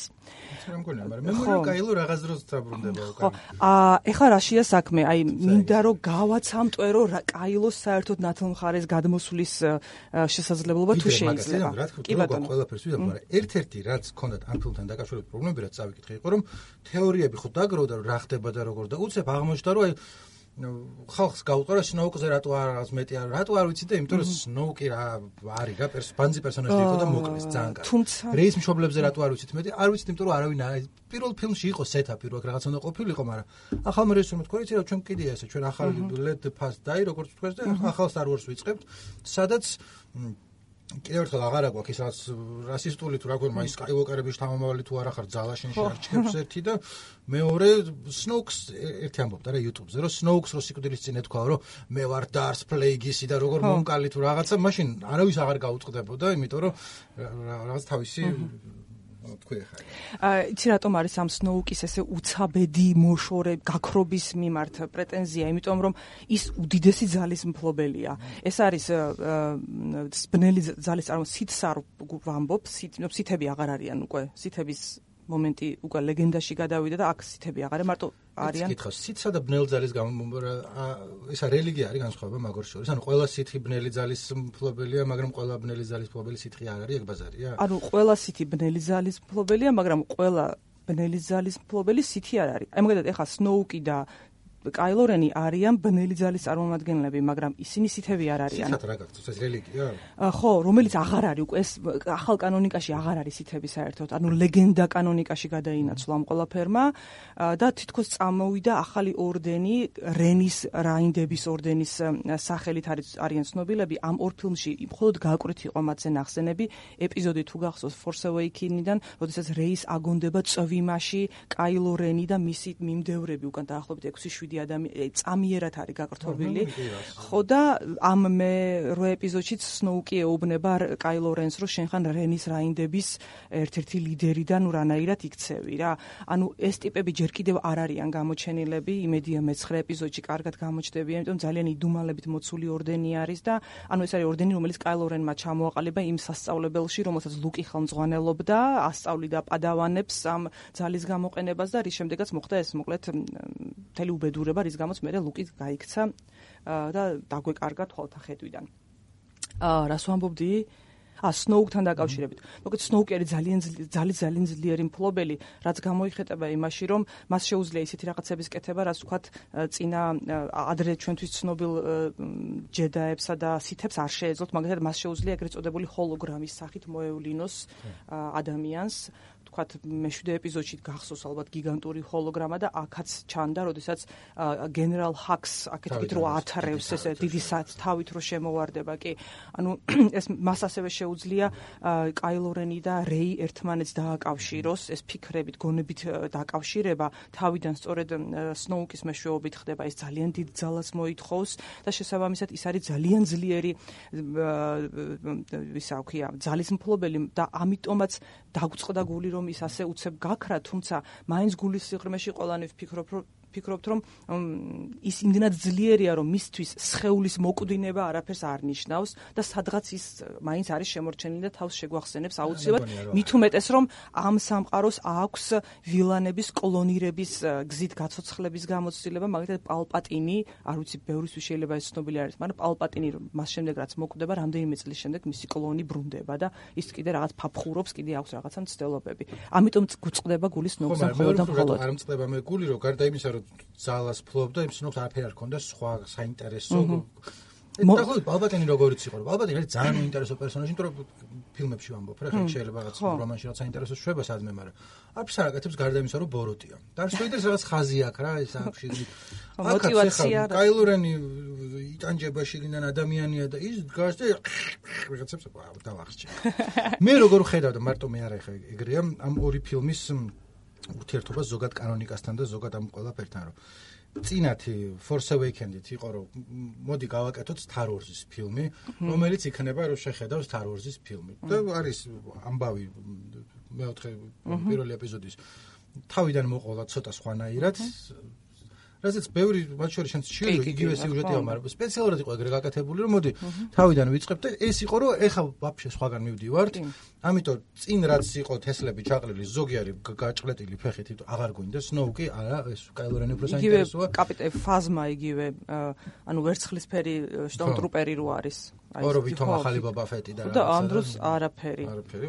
მე მგონია, მაგრამ მე მგონია კაილო რაღაც დროს ხო, ეხლა რაშია საქმე? აი, მინდა რომ გავაცამტვე, რომ კაილოს საერთოდ ნათელ მხარეს გადმოსვლის შესაძლებლობა თუ შეიძლება. კი ბატონო, ყველაფერს ვიდა, მაგრამ ერთ-ერთი რაც ჰქონდათ ამ ფილმთან დაკავშირებით პრობლემები, რაც წავიკითხე, იყო რომ თეორიები ხო დაგროვდა, რომ რა ხდება და როგორ და უცებ აღმოჩნდა, რომ აი ხალხს გაუყარა სნოუკზე რატო არ მეტი არ რატო არ ვიცი და იმიტომ რომ სნოუკი რა არის რა ბანძი პერსონაჟი იყო და მოკლეს ძალიან კარგი. რეის მშობლებზე რატო არ ვიცით მეტი? არ ვიცით, იმიტომ რომ არავინ პირველ ფილმში იყო სეტაპი, რო რაღაც უნდა ყოფილიყო, მაგრამ ახალ რეჟისორმა თქვა, იცი რა, ჩვენ კიდია ესე, ჩვენ ახალი let the past die, როგორც თქვენ და ახალ Star Wars ვიწყებთ, სადაც კიდევ ერთხელ აღარ აგვაქვს ის რაც რასისტული თუ რა ქვია, ის Skywalker-ების თავმომავალი თუ არა ხარ ძალაშენში არჩევს ერთი და მეორე Snokes ერთი ამბობდა რა YouTube-ზე, რომ Snokes რო სიკვდილის წინ ეთქვა, რომ მე ვარ Darth Plagueis-ი და როგორ მომკალი თუ რაღაცა, მაშინ არავის აღარ გაუწყდებოდა, იმიტომ რომ რაღაც თავისი თქვი ხარ. იცი რატომ არის ამ სნოუკის ესე უცაბედი მოშორე გაქრობის მიმართ პრეტენზია, იმიტომ რომ ის უდიდესი ძალის მფლობელია. ეს არის ბნელი ძალის სითს არ ვამბობ, სითები აღარ არიან უკვე, სითების მომენტი უკვე ლეგენდაში გადავიდა და აქ სითები აღარ მარტო არიან. კითხავს, სითსა და ბნელ ძალის ისა რელიგია არის განსხვავება მაგორ შორის. ანუ ყველა სითი ბნელი ძალის მფლობელია, მაგრამ ყველა ბნელი ძალის მფლობელი სითხი არ არის, ეგ ბაზარია? ანუ ყველა სითი ბნელი ძალის მფლობელია, მაგრამ ყველა ბნელი ძალის მფლობელი სითი არ არის. აი მაგალითად ეხლა სნოუკი და კაილო რენი არიან ბნელი ძალის წარმომადგენლები, მაგრამ ისინი სითები არ არიან. სითად რა გაქვს, ეს რელიგია? ხო, რომელიც აღარ არის უკვე ეს ახალ კანონიკაში აღარ არის სითები საერთოდ. ანუ ლეგენდა კანონიკაში გადაინაცვლა ამ ყველაფერმა და თითქოს წამოვიდა ახალი ორდენი, რენის რაინდების ორდენის სახელით არიან ცნობილები. ამ ორ ფილმში მხოლოდ გააკვრით იყო მათზე ნახსენები. ეპიზოდი თუ გახსოვს Force Awakens-დან, როდესაც რეის აგონდება წვიმაში, კაილო რენი და მისი მიმდევრები უკან დაახლოებით 6-7 ადამიანი წამიერად არის გაკრთობილი. ხო და ამ მე-8 ეპიზოდშიც სნოუკი ეუბნება კაილო რენს, რომ შენ ხან რენის რაინდების ერთ-ერთი ლიდერი და ნუ რანაირად იქცევი რა. ანუ ეს ტიპები ჯერ კიდევ არ არიან გამოჩენილები, იმედია მე-9 ეპიზოდში კარგად გამოჩნდებიან, იმიტომ ძალიან იდუმალებით მოცული ორდენი არის და ანუ ეს არის ორდენი, რომელიც კაილო რენმა ჩამოაყალიბა იმ სასწავლებელში, რომელსაც ლუკი ხელმძღვანელობდა, ასწავლიდა პადავანებს ამ ძალის გამოყენებას და რის შემდეგაც მოხდა ეს მოკლედ მთელი უბედურება, რის გამოც მე ლუკი გაიქცა და დაგვეკარგა თვალთა ხედვიდან. რას ვამბობდი? სნოუკთან დაკავშირებით. მოკლედ სნოუკი არის ძალიან ძლიერი მფლობელი, რაც გამოიხატება იმაში, რომ მას შეუძლია ისეთი რაღაცების კეთება, რაც ვთქვათ, წინა ადრე ჩვენთვის ცნობილ ჯედაებსა და სითებს არ შეეძლოთ, მაგალითად მას შეუძლია ეგრეთ წოდებული ჰოლოგრამის სახით მოევლინოს ადამიანს. ვთქვათ, მე-7 ეპიზოდში გახსოვს ალბათ გიგანტური ჰოლოგრამა და აქაც ჩანდა, როდესაც გენერალ ჰაქს აქეთ რო ათარევს ეს დიდი თავით რო შემოვარდება, კი. ანუ ეს მას ასევე შეუძლია კაილო რენი და რეი ერთმანეთს დააკავშიროს, ეს ფიქრებით, გონებით დაკავშირება თავიდან სწორედ სნოუკის მეშვეობით ხდება, ეს ძალიან დიდ ძალას მოითხოვს და შესაბამისად ის არის ძალიან ძლიერი ისა ვქია, ძალის მფლობელი და ამიტომაც დაგწყდა გული რომ ის ასე უცებ გაქრა, თუმცა მაინც გულის სიღრმეში ყველანი ვფიქრობთ, რომ ის იმდენად ძლიერია, რომ მისთვის სხეულის მოკვდინება არაფერს არ ნიშნავს და სადღაც ის მაინც არის შემორჩენილი და თავს შეგვახსენებს აუცილებლად. მით უმეტეს, რომ ამ სამყაროს აქვს ვილანების კლონირების გზით გაცოცხლების გამოცდილება, მაგალითად პალპატინი, არ ვიცი, ბევრისთვის შეიძლება ეს ცნობილი არის, მაგრამ პალპატინი მას შემდეგ რაც მოკვდება, რამდენიმე წლის შემდეგ მისი კლონი ბრუნდება და ის კიდე რაღაც ფაფხურობს, კიდე აქვს რაღაცა მცდელობები. ამიტომ გვწყდება გული სნოუკს მხოლოდ და მხოლოდ. არ მწყდება მე გული, რომ გარდა იმისა, რომ ძალას ფლობდა, იმ სნოუკს არაფერი არ ქონდა სხვა საინტერესო. დაახლოებით პალპატინი როგორიც იყო, პალპატინი არის ძალიან ინტერესო პერსონაჟი, იმიტომ რომ ფილმებში ვამბობ, რა შეიძლება რაღაც რომანში რაღაც საინტერესო შვება სადმე, მაგრამ არც არ აკეთებს გარდა იმისა, რომ ბოროტია. და არც შეიძლება რაღაც ხაზი აქვს რა, ეს აქვს მოტივაცია. კაილო რენი იტანჯება შიგნიდან ადამიანია და ის დგას და რაღაცებს დავახსჭი. მე როგორ ხედავ და მარტო მე არა ხა ეგრეა ამ ორი ფილმის ურთიერთობა ზოგად კანონიკასთან და ზოგად ამ ყველაფერთან, რომ წინათი Force Awakens-ით იყო, რომ მოდი გავაკეთოთ Star Wars-ის ფილმი, რომელიც იქნება, რომ შეხედავ Star Wars-ის ფილმი. და არის ამბავი მეოთხე პირველი ეპიზოდის თავიდან მოყოლა ცოტა სხვანაირად. რასაც ბევრი მათ შორის შენც შეიძლება იგივე სიუჟეტია, მაგრამ სპეციალურად იყო ეგრე გაკეთებული, რომ მოდი თავიდან ვიწყებ და ეს იყო, რომ ეხა ვაფშე სხვაგან მივდივართ. ამიტომ წინ რაც იყო თესლები ჩაყრილი, ზოგი არის გაჭყლეტილი ფეხით, აღარ გვინდა სნოუკი, არა, ეს კაილო რენი უფრო საინტერესოა. იგივე კაპიტანი ფაზმა იგივე, ანუ ვერცხლისფერი შტორმტრუპერი რო არის. ორო ვითომ ახალი ბაბა ფეტი და და ამ დროს არაფერი. არაფერი,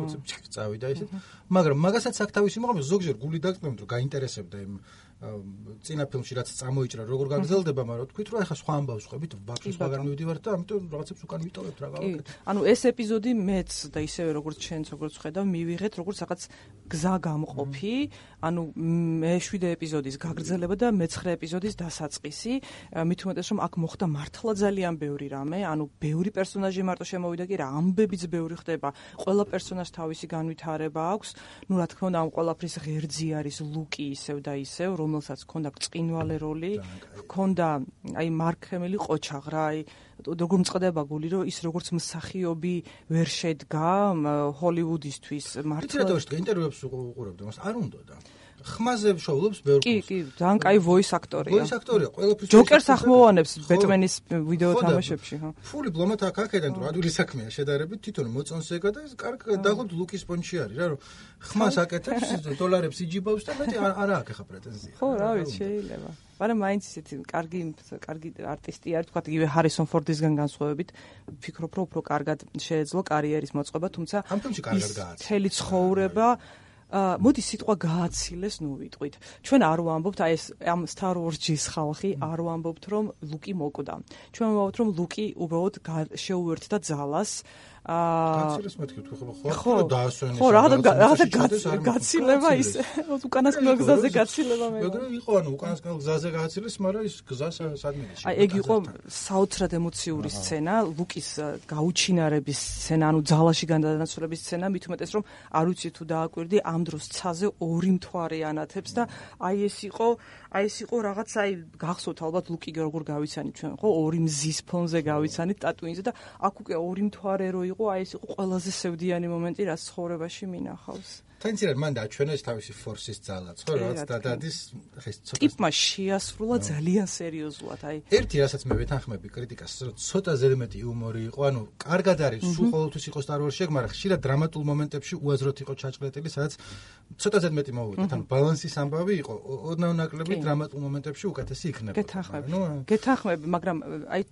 წავიდა ისეთ. მაგრამ მაგასაც აქ თავისი მოყვა, ზოგჯერ გული დაგწმენდ, რომ გაინტერესებდა იმ წინა ფილმში რაც წამოიჭრა, როგორ გაგრძელდება, მაგრამ თქვით რომ ახლა სხვა ამბავს ხვებით, ვაფშე სხვაგან მივდივართ და ამიტომ რაღაცებს უკან ვიტოვებთ რა გავაკეთეთ. ანუ ეს ეპიზოდი მეც და ისევე როგორც შენც როგორც ხედავ, მივიღეთ როგორც რაღაც გზა გამყოფი, ანუ მე-7 ეპიზოდის გაგრძელება და მე-9 ეპიზოდის დასაწყისი, მით უმეტეს რომ აქ მოხდა მართლა ძალიან ბევრი რამე, ანუ ბევრი პერსონაჟი მარტო შემოვიდა კი რა, ამბებიც ბევრი ხდება, ყველა პერსონაჟს თავისი განვითარება აქვს, ნუ რა თქმა უნდა ამ ყველაფრის ღერძი არის ლუკი ისევ და ისევ, რომელსაც ჰქონდა ბრწყინვალე როლი, ჰქონდა აი მარკ ჰემილი ყოჩაღ რა, აი როგორ მწყდება გული, რომ ის როგორც მსახიობი ვერ შედგა ჰოლივუდისთვის მართლა. თითქოს ინტერვიუებს უყურებდა, მას არ უნდა და ხმაზე შოულობს ბევრ კი, კი, ძალიან კაი voice акторია. voice акторია, ყველაფრის ჯოკერს ახმოვანებს ბეტმენის ვიდეო თამაშებში, ხო? ფული ბლომად აქ-აქედან თუ ადვილი საქმეა შედარებით, თვითონ მოწონს ეგა და კარგ დაღლობ ლუკის პონჩი არის რა, რომ ხმას აკეთებს, დოლარებს იჯიბავს და მეტი არა აქვს ახლა პრეტენზია. ხო, რა ვიცი, შეიძლება. მაგრამ მაინც ისეთი კარგი არტისტი არის, თქვა იგივე ჰარისონ ფორდისგან განსხვავებით, ვფიქრობ, რომ უფრო კარგად შეეძლო კარიერის მოწყობა, თუმცა ამ ფილმში კარგად გააჩნდა. მთელი ცხოვრება მოდი სიტყვა გააცილეს ნუვიტყვით. ჩვენ არ ვამბობთ აი ეს ამ Star Wars-ის ხალხი არ ვამბობთ რომ ლუკი მოკვდა. ჩვენ ვამბობთ რომ ლუკი უბრალოდ შეუერთდა ძალას. გაცილეს მეთქი თუ ხო დაასვენეს. ხო, რაღაცა გაცილება ის უკანასკნელ გზაზე გაცილება მე. მაგრამ იყო ანუ უკანასკნელ გზაზე გაცილეს, მაგრამ ის გზა სადმეში. აი ეგ იყო საოცრად ემოციური სცენა, ლუკის გაუჩინარების სცენა, ანუ ძალაში გადანაცვლების სცენა, მით უმეტეს რომ არ ვიცი თუ დააკვირდი ამ დროს ცაზე ორი მთვარე ანათებს და აი ეს იყო რაღაც აი გახსოვთ ალბათ ლუკი როგორ გავიცანით ჩვენ ხო ორი მზის ფონზე გავიცანით ტატუინზე და აქ უკვე ორი მთვარე რო იყო აი ეს იყო ყველაზე სევდიანი მომენტი რაც ცხოვრებაში მინახავს. თანცირად მან დაჩვენეს თავისი ფორსის ძალაც ხო რაც დადადის ეს ცოტა ტიპმა შეასრულა ძალიან სერიოზულად აი ერთი რასაც მე ვეთანხმები კრიტიკას ცოტა ზედმეტი იუმორი იყო ანუ კარგად არის სულ ყოველთვის იყო Star Wars-ში მაგრამ ხშირად დრამატულ მომენტებში უაზროდ იყო ჩაჭრეტილი სადაც ცოტა ზედმეტი მოვიდა თან ბალანსის ამბავი იყო ოდნავ ნაკლები დრამატულ მომენტებში უკეთესი იქნება გეთანხმები მაგრამ აი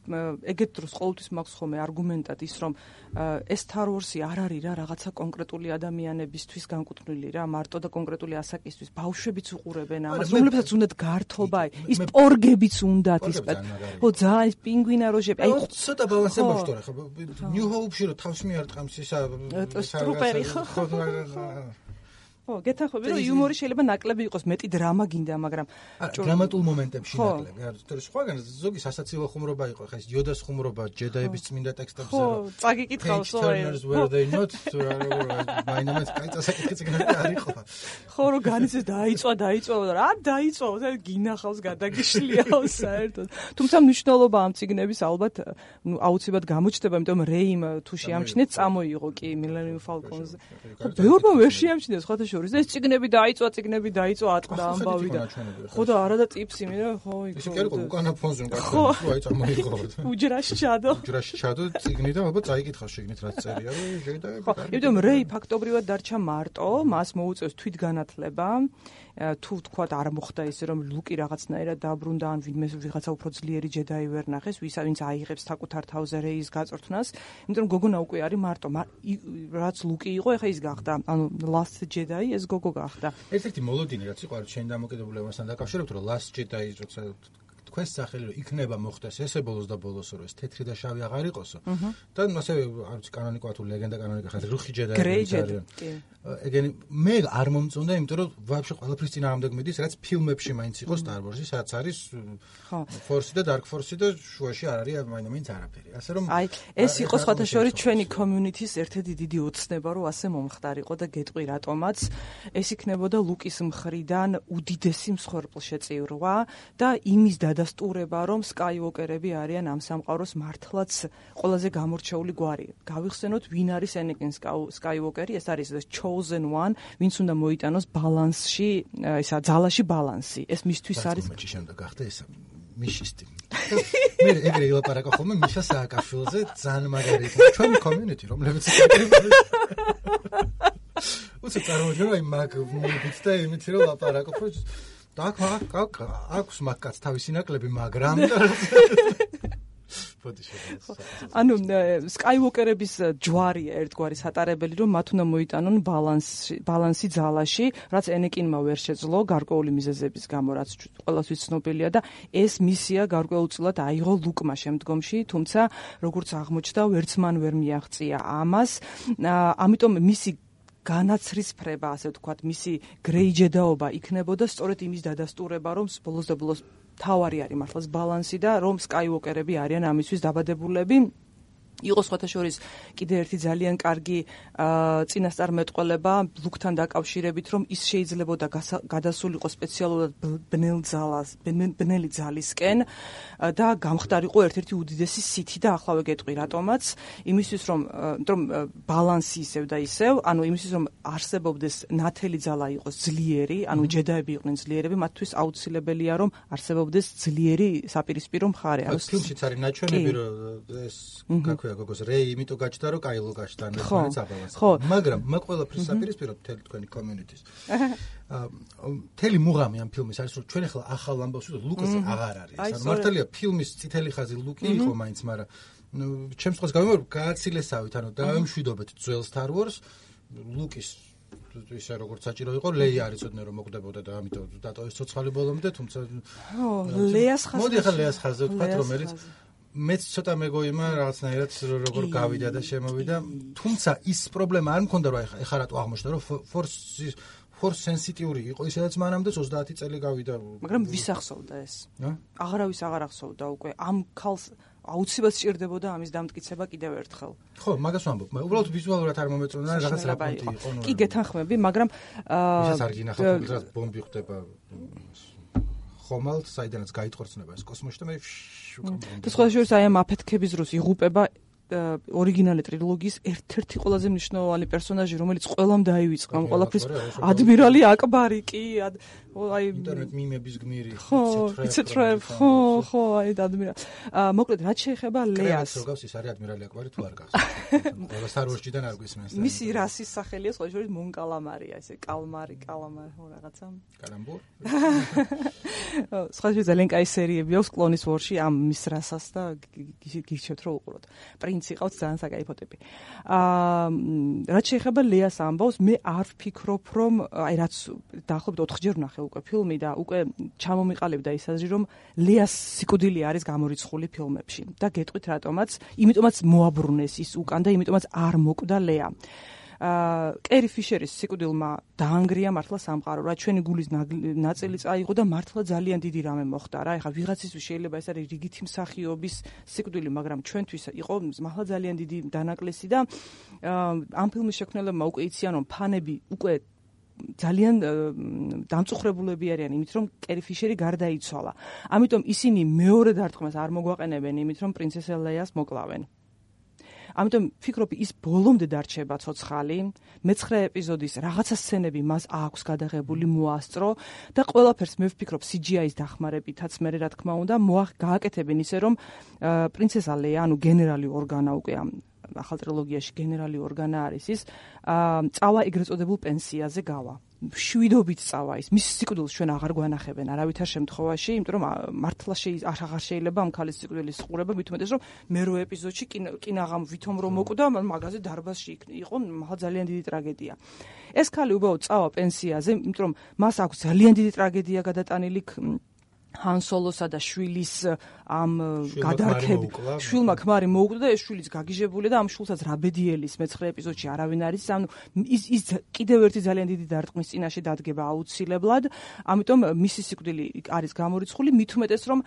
ეგეთ დროს ყოველთვის მაქვს ხოლმე არგუმენტად ის რომ ეს Star Wars-ი არ არის რა რაღაცა კონკრეტული ადამიანებისთვის განკუთვნილი რა მარტო და კონკრეტული ასაკისთვის ბავშვებიც უყურებენ ამას რომლებსაც უნდათ გართობა ის პორგებიც უნდათ ის ხო ძალიან ის პინგვინა როჟები აი ცოტა ბალანსი მოშტორე ხო New Hope-ში რო თავს მიარტყამს ისა სტრუპერი ხო ხო, გეთანხმები რომ იუმორი შეიძლება ნაკლები იყოს, მეტი დრამა გინდა, მაგრამ დრამატულ მომენტებში ნაკლები. არა, სხვაგან ზოგი სასაცილო ხუმრობა იყო, ხა ეს იოდას ხუმრობა, ჯედაების წმინდა ტექსტებზე. ხო, წაგიკითხავს ხო. მაინამაც კაი წასაკითხი წიგნები არ იყო. ხო, რომ განიცეს დაიწვა და რა დაიწვა, გინახავს გადაგიშლიაო საერთოდ. თუმცა მნიშვნელობა ამ წიგნების ალბათ აუცილებლად გამოჩნდება, იმიტომ რომ რეიმ თუ შეამჩნიეთ, წამოიღო კი Millennium Falcon-ზე. ბევრმა ვერ შეამჩნიეს, ხო ეს წიგნები დაიწვა ატყდა ამბავი და ხო და არა და ტიპსი მე ხო ის კი იყო უკანა ფონზე უკანა აი წამოიღო უჯრაში ჩადო წიგნი და ალბათ წაიკითხავს შეგნით რაც წერია რომ შეიძლება ხო იმიტომ რეი ფაქტობრივად დარჩა მარტო მას მოუწევს თვითგანათლება თუ თქვა არ მოხდა ისე რომ ლუკი რაღაცნაირად დაბრუნდა ან ვინმე ვიღაცა უფრო ძლიერი ჯედაი ვერ ნახეს ვინც აიღებს საკუთარ თავზე რეის გაწვრთნას იმიტომ გოგონა უკვე არის მარტო რაც ლუკი იყო ეხა ის გახდა ანუ last jedi ეს გოგო გახდა ერთ-ერთი მოლოდინი რაც იყო შენ დამოკიდებულებასთან დაკავშირებით რომ last jedi როცა თქვენს სახელი რომ იქნება მოხდეს ესე ბოლოს და ბოლოს რომ ეს თეთრი და შავი აღარ იყოსო და ასევე არ ვიცი კანონიკა თუ ლეგენდა კანონიკა ხარ რუხი ჯედაი არიან ეგენი მე არ მომწონდა იმიტომ რომ ვაფშე ყველაფრის წინააღმდეგ მიდის რაც ფილმებში მაინც იყო Star Wars-ი სადაც არის Force-ი და Dark Force-ი და შუაში არ არის მაინც არაფერი ასე რომ აი ეს იყო სხვათა შორის ჩვენი community-ის ერთ-ერთი დიდი ოცნება რომ ასე მომხდარიყო და გეტყვი რატომაც ეს იქნებოდა ლუკის მხრიდან უდიდესი მსხვერპლშეწირვა და იმის დადასტურება რომ Skywalker-ები არიან ამ სამყაროს მართლაც ყველაზე გამორჩეული გვარი გავიხსენოთ ვინ არის Anakin Skywalker-ი ეს არის chosen one, ვინც უნდა მოიტანოს ბალანსში, ისა ძალაში ბალანსი. ეს მისთვის არის. მაჩი შემდეგ გახდა ეს მიშისტი. მე ეგრე ილაპარაკო ხოლმე მიშა სააკაშვილზე, ძალიან მაგარი. ჩვენი community, რომლებიც უცებ წარმოვიდგინე აი მაგ მოვიდით და იმით რომ ლაპარაკო, ხო და აქვს მაგაც თავისი ნაკლები, მაგრამ ანუ Skywalker-ების ჯვარია ერთგვარი სატარებელი რომ მათ უნდა მოიტანონ ბალანსი ძალაში, რაც Anakin-მა ვერ შეძლო გარკვეული მიზეზების გამო, რაც ყველასთვის ცნობილია და ეს მისია გარკვეულწილად აიღო ლუკმა შემდგომში, თუმცა როგორც აღმოჩნდა, ვერც მან ვერ მიაღწია ამას. ამიტომ მისი განაცრისფრება, ასე ვთქვათ, მისი გრეი ჯედაობა იქნებოდა სწორედ იმის დადასტურება, რომ ბოლოს და ბოლოს თავარი არის მართლაც ბალანსი და რომ Skywalker-ები არიან ამისთვის დაბადებულები. იყო სხვათა შორის კიდე ერთი ძალიან კარგი წინასწარმეტყველება ლუკთან დაკავშირებით, რომ ის შეიძლებოდა გადასულიყო სპეციალურად ბნელი ძალისკენ და გამხდარიყო ერთ-ერთი უდიდესი სითი და ახლა ვეგეტყვი რატომაც, იმისთვის რომ ბალანსი ისევ და ისევ, ანუ იმისთვის რომ არსებობდეს ნათელი ძალა იყოს ძლიერი, ანუ ჯედაები იყვნენ ძლიერები, მათთვის აუცილებელია რომ არსებობდეს ძლიერი საპირისპირო მხარე. ანუ ფილმშიც არის ნაჩვენები რომ ეს გოგოს რეი იმიტომ გაჩნდა რომ კაილო გაჩნდა ნებოვნიც აბალანსი მაგრამ მაგ ყველაფრის საპირისპირო მთელი თქვენი community-ის მთელი მუღამი ამ ფილმის არის რომ ჩვენ ახლა ახალ ამბავს ვუძოთ ლუკაზე აღარ არის ანუ მართალია ფილმის წითელი ხაზი ლუკი იყო მაინც მაგრამ ჩემს խոսს გამომარ გააცილესავით ანუ დავემშვიდობეთ ძველ Star Wars ლუკის ისე როგორც საჭირო იყო, ლეი არ იცოდნენ რომ მოკდებოდა და ამიტომ დატოვეს ცოცხალი ბოლომდე, თუმცა ლეას ხაზზე. მოდი ახლა ლეას ხაზზე ვთქვათ, რომელიც მეც ცოტა მეგოიმა რაღაცნაირად როგორ გავიდა და შემოვიდა, თუმცა ის პრობლემა არ მქონდა რომ ეხლა რატო აღმოჩნდა რომ force sensitive იყო ისედაც მანამდე 30 წელი გავიდა. მაგრამ ვის ახსოვდა ეს? აღარავის აღარ ახსოვდა უკვე ამ ქალს აუცილებლად სჭირდებოდა ამის დამტკიცება კიდევ ერთხელ. ხო, მაგას ვამბობ. უბრალოდ ვიზუალურად არ მომეწონა რაღაც რაპორტი იყო. კი, გეთანხმები, მაგრამ ისაც არ გინახავთ, რომ ბომბი ხდება ხომალდ, საიდანაც გაიტყორცნება ეს კოსმოსში და მე და სხვა შორის აი ამ აფეთქების დროს იღუპება ორიგინალი ტრილოგიის ერთ-ერთი ყველაზე მნიშვნელოვანი პერსონაჟი, რომელიც ყველამ დაივიწყა ამ ყველაფრის ადმირალი აკბარი კი აი ინტერნეტ მიმების გმირი იცეტრებ ხო აი ადმირალი მოკლედ რაც შეეხება ლეას როგორ ის არის ადმირალი აკბარი თუ არ გახსოვს ყველა სარვაშჯიდან არ გვისმენს მისი რასის სახელია სხვა შორის მონკალამარია ესე კალმარი ხო რაღაცა კალამბურ სხვა შორის ძალიან კაი სერიები აქვს კლონის ვორში ამ მის რასას და გირჩევთ რომ უყუროთ პრინცი ყავს ძალიან საკაიფო ტიპი რაც შეეხება ლეას ამბავს მე არ ვფიქრობ რომ აი რაც დაახლოებით 4 ჯერ ვნახე უკვე ფილმი და უკვე ჩამომიყალიბდა ის აზრი რომ ლეას სიკვდილი არის გამორიცხული ფილმებში და გეტყვით რატომაც იმიტომაც მოაბრუნეს ის უკან და იმიტომაც არ მოკვდა ლეა კერი ფიშერის სიკვდილმა დაანგრია მართლა სამყარო რა ჩვენი გულის ნაწილი წაიღო და მართლა ძალიან დიდი რამე მოხდა რა ეხლა ვიღაცისთვის შეიძლება ეს არის რიგითი მსახიობის სიკვდილი მაგრამ ჩვენთვის იყო მართლა ძალიან დიდი დანაკლისი და ამ ფილმის შექმნელებმა უკვე იციან რომ ფანები უკვე ძალიან დამწუხრებულები არიან იმით რომ კერი ფიშერი გარდაიცვალა ამიტომ ისინი მეორე დარტყმას არ მოგვაყენებენ იმით რომ პრინცესა ლეას მოკლავენ ამიტომ ფიქრობ ის ბოლომდე დარჩება ცოცხალი მე-9 ეპიზოდის რაღაცა სცენები მას აქვს გადაღებული მოასწრო და ყველაფერს მე ვფიქრობ CGI-ის დახმარებითაც მე რა თქმა უნდა გააკეთებენ ისე რომ პრინცესა ლეა ანუ გენერალი ორგანა უკვე ამ ახალ ტრილოგიაში გენერალი ორგანა არის ის წავა ეგრეთ წოდებულ პენსიაზე გავა შვიდობით წავა ის მის სიკვდილს ჩვენ აღარ გვანახებენ არავითარ შემთხვევაში იმიტომ რომ მართლა აღარ შეიძლება ამ ქალის სიკვდილის ყურება მით უმეტეს რომ მე-8 ეპიზოდში კინაღამ ვითომ რომ მოკვდა მაგაზე დარბაზში იყო მაღლა ძალიან დიდი ტრაგედია ეს ქალი უბრალოდ წავა პენსიაზე იმიტომ რომ მას აქვს ძალიან დიდი ტრაგედია გადატანილი Han Solo-სა და შვილის ამ გადარქები შვილმა ქმარი მოუკვდა და ეს შვილიც გაგიჟებული და ამ შვილსაც რაბედიელის მე-9 ეპიზოდში არავინ არის ანუ ის კიდევ ერთი ძალიან დიდი დარტყმის წინაშე დადგება აუცილებლად ამიტომ მისი სიკვდილი არის გამორიცხული მით უმეტეს რომ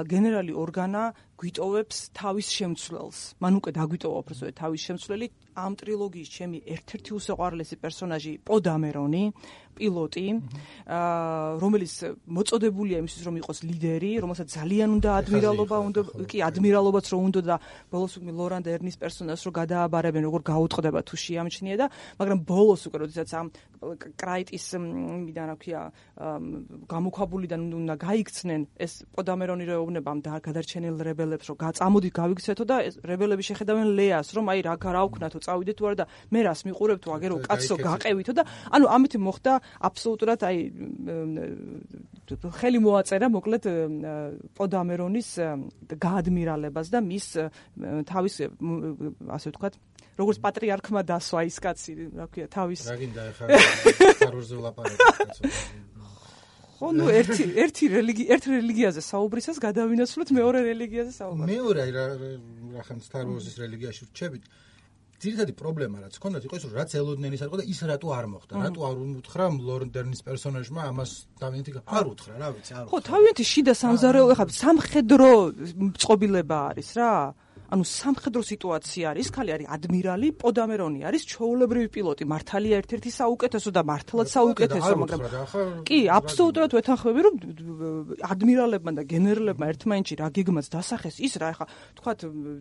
გენერალი ორგანა გვიტოვებს თავის შემცვლელს მან უკვე დაგვიტოვა უბრალოდ თავის შემცვლელი ამ ტრილოგიის ჩემი ერთ-ერთი უსაყვარლესი პერსონაჟი პო დამერონი პილოტი რომელიც მოწოდებულია იმისთვის რომ იყოს ლიდერი რომელსაც ძალიან უნდა ადმირალობა უნდა კი ადმირალობაც რომ უნდა და ბოლოს უკვე ლორან დერნის პერსონაჟს რო გადააბარებენ როგორ გაუტყდება თუ შეამჩნია და მაგრამ ბოლოს უკვე როდესაც ამ კრაიტის მიდან რა ქვია გამოქვაბულიდან უნდა გაიქცნენ ეს პო დამერონი რეუბნება ამ გადარჩენილ რებელებს რომ წამოდით გავიქცეთო და ეს რებელები შეხედავენ ლეას რომ აი რა გავქნათო წავიდეთ თუ არა და მე რას მიყურებთო აგერო კაცო გაყევითო და ანუ ამით მოხდა აბსოლუტურად აი ხელი მოაწერა მოკლედ პო დამერონის გაადმირალებას და მის თავის ასე ვთქვათ როგორც პატრიარქმა დასვა ის კაცი რა ქვია თავის რა გინდა ახლა სტარვარზე ვლაპარაკობთ ხო ნუ ერთ რელიგიაზე საუბრისას გადავინაცვლოთ მეორე რელიგიაზე საუბარი მეორე რახან სტარვარზის რელიგიაში რჩებით ძირითადი პრობლემა რაც ჰქონდათ იყო ის რომ რაც ელოდნენ ის არ იყო და ის რატო არ მოხდა რატო არ უთხრა ლორენ დერნის პერსონაჟმა ამას თავიანთი არ უთხრა რა ვიცი არ ხო თავიანთი შიდა სამზარეულო ხა სამხედრო წყობილება არის რა ანუ სამხედრო სიტუაცია არის, ქალი არის ადმირალი, პო დამერონი არის ჩვეულებრივი პილოტი, მართალია ერთ-ერთი საუკეთესო და მართლაც საუკეთესო, მაგრამ კი, აბსოლუტურად ვეთანხმები, რომ ადმირალებმა და გენერლებმა ერთმანეთში რა გეგმაც დასახეს, ის რა ხა, თქვათ,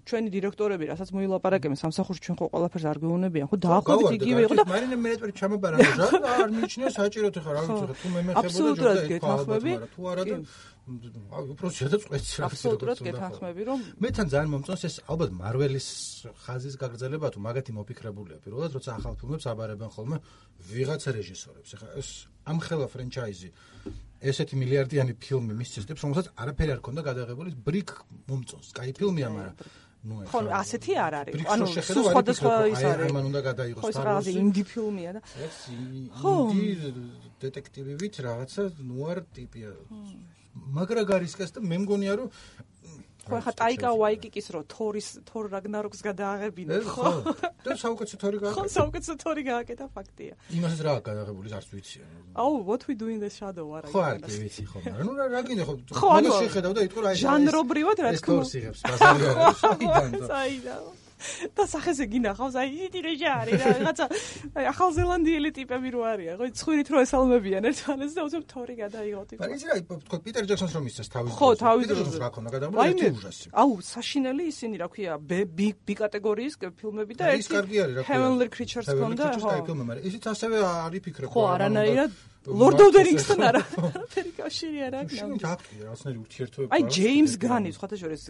ჩვენი დირექტორები, რასაც მოილაპარაკებენ სამსახურში, ჩვენ ხო ყველაფერს არ გვეუბნებიან, ხო, დაახლოებით იგივე იყო და მარინე მეეწერი ჩამაბარა, არ მიჩნია საჭიროდ ხა, რა ვიცი, თუ მე მეხებოდა ჯობდა თუ არა და უბრალოდ შედაწყვეტს რა აბსოლუტურად გეთანხმები რომ მე თან ძალიან მომწონს ეს ალბათ მარველის ხაზის გაგრძელება თუ მაგათი მოფიქრებულია პირველად როცა ახალ ფილმებს აბარებენ ხოლმე ვიღაცა რეჟისორებს ეხა ეს ამ ხელა ფრენჩაიზი ესეთი მილიარდიანი ფილმი მისცეს, რომელსაც არაფერი არ ქონდა გადაღებული, ბრიკ მომწონს. კაი ფილმია, მაგრამ ხო, ასეთი არ არის. ანუ სხვადასხვა ის არის. მან უნდა გადაიღოს ხო, ეს ინდი ფილმია და. ხო, ინდი დეტექტივივით რაღაცა ნუარ ტიპია. მაგრა გარისკას და მე მგონია რომ ხო, ხა ტაიკა ვაიკიკის რო თორ რაგნაროქს გადააღებინა, ხო? და საუკეთესო თორი გააკეთა. ხო, საუკეთესო თორი გააკეთა, ფაქტია. იმასაც რა გადაღებული არც ვიცი. აუ, what we do in the shadow არა. ხო, არ კი ვიცი ხო, მაგრამ ნუ რა გინდა ხო? მაგას შეხედავ და იტყვი რა ეს. ჟანრობრივად რა თქმა უნდა. ეს თორს იღებს ბაზარიდან. საიდან. და სახეზე გინახავს, აი ისეთი რეჟი არის რა, რაღაცა ახალზელანდიელი ტიპები რო არიან, ხო, ცხვირით რო ესალმებიან ერთმანეთს და უცებ თორი გადაიღოთ. მაგრამ იცი რა, თქო, პიტერ ჯექსონს რომ ისწრებს თავის. ხო, თავის დროზე რა ქონა გადაღებული ერთი უჟასი. აუ, საშინელი ისინი რა ქვია, B კატეგორიის ფილმები და ეს კარგი არის რა ქვია. Heavenly Creatures კონდა, ხო. მაგრამ ისიც ასევე არის ფიქრობ. ხო, არანაირად Lord of the Rings-თან არაფერი კავშირი არ აქვს. შენ დაგტყი რაღაცნაირი ურთიერთობები. აი ჯეიმს განი, სხვათა შორის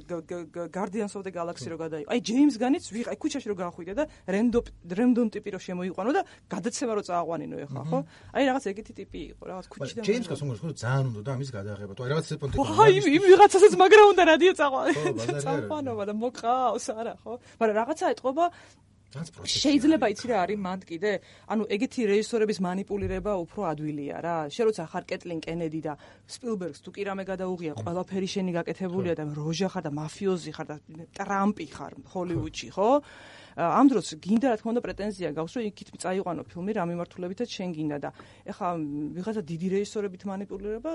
Guardians of the Galaxy რო გადაიღო. აი ჯეიმს განიც აი ქუჩაში რო გახვიდა და random ტიპი რო შემოიყვანო და გადაცემა რო წააყვანინო ეხლა, ხო? აი რაღაც ეგეთი ტიპი იყო, რაღაც ქუჩიდან. ჯეიმს გასულ რომ ძალიან უნდა და ამის გადაღება. თუ აი რაღაც პონტი. აი იმ ვიღაცასაც მაგრა უნდა რადიო წაყვანო და მოყავს არა, ხო? მაგრამ რაღაცა ეთყობა შეიძლება იცი რა არის მანდ კიდე? ანუ ეგეთი რეჟისორების манипуლირება უფრო ადვილია რა. შენ როცა ხარ კეტლინ კენედი და სპილბერგს თუ კი რამე გადაუღია, ყველაფერი შენი გაკეთებულია და როჟა ხარ და მაფიოზი ხარ და ტრამპი ხარ ჰოლივუდში, ხო? ამ დროს გინდა რა თქმა უნდა პრეტენზია გაქვს, რომ იქით წაიყვანო ფილმი რა მიმართულებითაც შენ გინდა და ეხლა ვიღაცა დიდი რეჟისორებით манипуლირება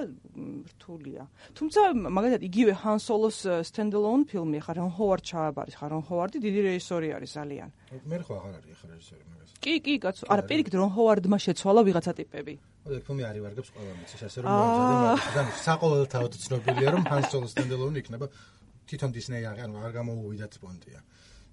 რთულია. თუმცა მაგალითად იგივე Han Solo-ს stand-alone ფილმი ხარ, რონ ჰოვარდ ჩააბარის ხარ, რონ ჰოვარდი დიდი რეჟისორი არის ძალიან. მე ხო აღარ არის ახლა რეჟისორი მაგას. კი, კაცო, არა, პირიქით რონ ჰოვარდმა შეცვალა ვიღაცა ტიპები. ოდე ფილმი არის ვარგებს ყველა მიცის, ასე რომ მოიძადა, საყოველთაოდ ცნობილია რომ Han Solo stand-alone იქნება თვითონ Disney არ გამოუვიდათ პონტია.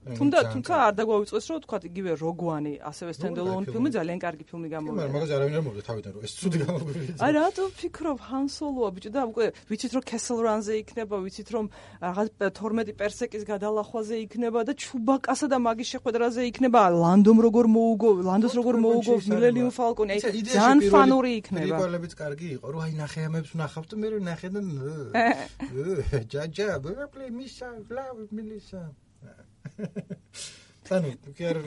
თუმცა არ დაგვაუწყეს რომ თქვა იგივე Rogue-ი ასევე stand-alone ფილმი ძალიან კარგი ფილმი გამოვიდა. მაგრამ მაგას არავინ არ მოვიდა თავიდან რომ ეს ცუდი გამოგვივიდა. აი რატო ფიქრობ Han Solo-ა ბიჭო და უკვე ვიცით რომ Castle Run-ზე იქნება, ვიცით რომ რაღაც 12 პერსეკის გადალახვაზე იქნება და Chewbacca-სა და მაგის შეხვედრაზე იქნება, ლანდოს როგორ მოუგო Millennium Falcon-ი, ძალიან ფანური იქნება. პრიკოლებიც კარგი იყო, რომ აი ნახე ამებს ვნახავთ და მე ნახე და ჯაჯა, play Misha, love Melissa. ანუ კი არ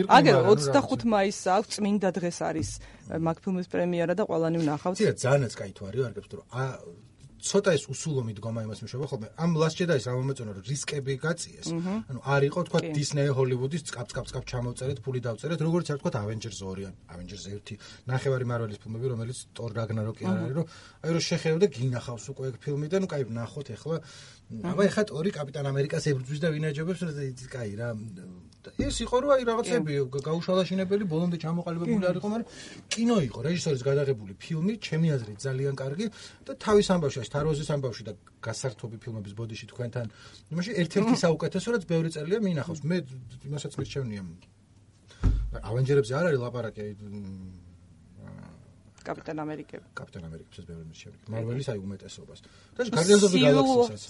აგერ 25 მაისს აქვს წმინდა დღეს არის მაგ ფილმის პრემიერა და ყველანი ვნახავთ. ცირა ძალიანაც кай თუ არის ვარგებს თუ ცოტა ეს усულო მიდგომა იმას მიშობა ხოლმე ამ Last Jedi-ს რა მომეწონა რომ რისკები გაწიეს. ანუ არ იყო თქვა Disney Hollywood-ის წკაპ ჩამოვწერეთ, ფული დავწერეთ, როგორც არ თქვა Avengers 2 ან Avengers 1 ნახევარი Marvel-ის ფილმები, რომელიც Thor Ragnarok-ი არ არის, რომ აი რომ შეხედავ და გინახავს უკვე ეგ ფილმი და ნუ кай ვნახოთ ეხლა. აბა ეხლა Thor-ი კაპიტან ამერიკას ებრძვის და ვინაჯობებს კай რა. ეს იყო რომ აი რაღაცები გაუშალაშინებელი ბოლომდე ჩამოყალიბებული არ იყო, მაგრამ კინო იყო, რეჟისორის გადაღებული ფილმი, ჩემი აზრით ძალიან კარგი და თავის ამბავში, Star-Wars-ის ამბავში და გასართობი ფილმების ბოდიში თქვენთან. იმაში ერთ-ერთი საუკეთესო, რაც ბევრი წელია მინახავს. მე იმასაც მირჩევნია. Avengers-ებზე არ არის ლაპარაკი კაპიტან ამერიკები. კაპიტან ამერიკებსაც ბევრი მირჩევნია. Marvel-ის აი უმეტესობას. და Guardians of the Galaxy-საც.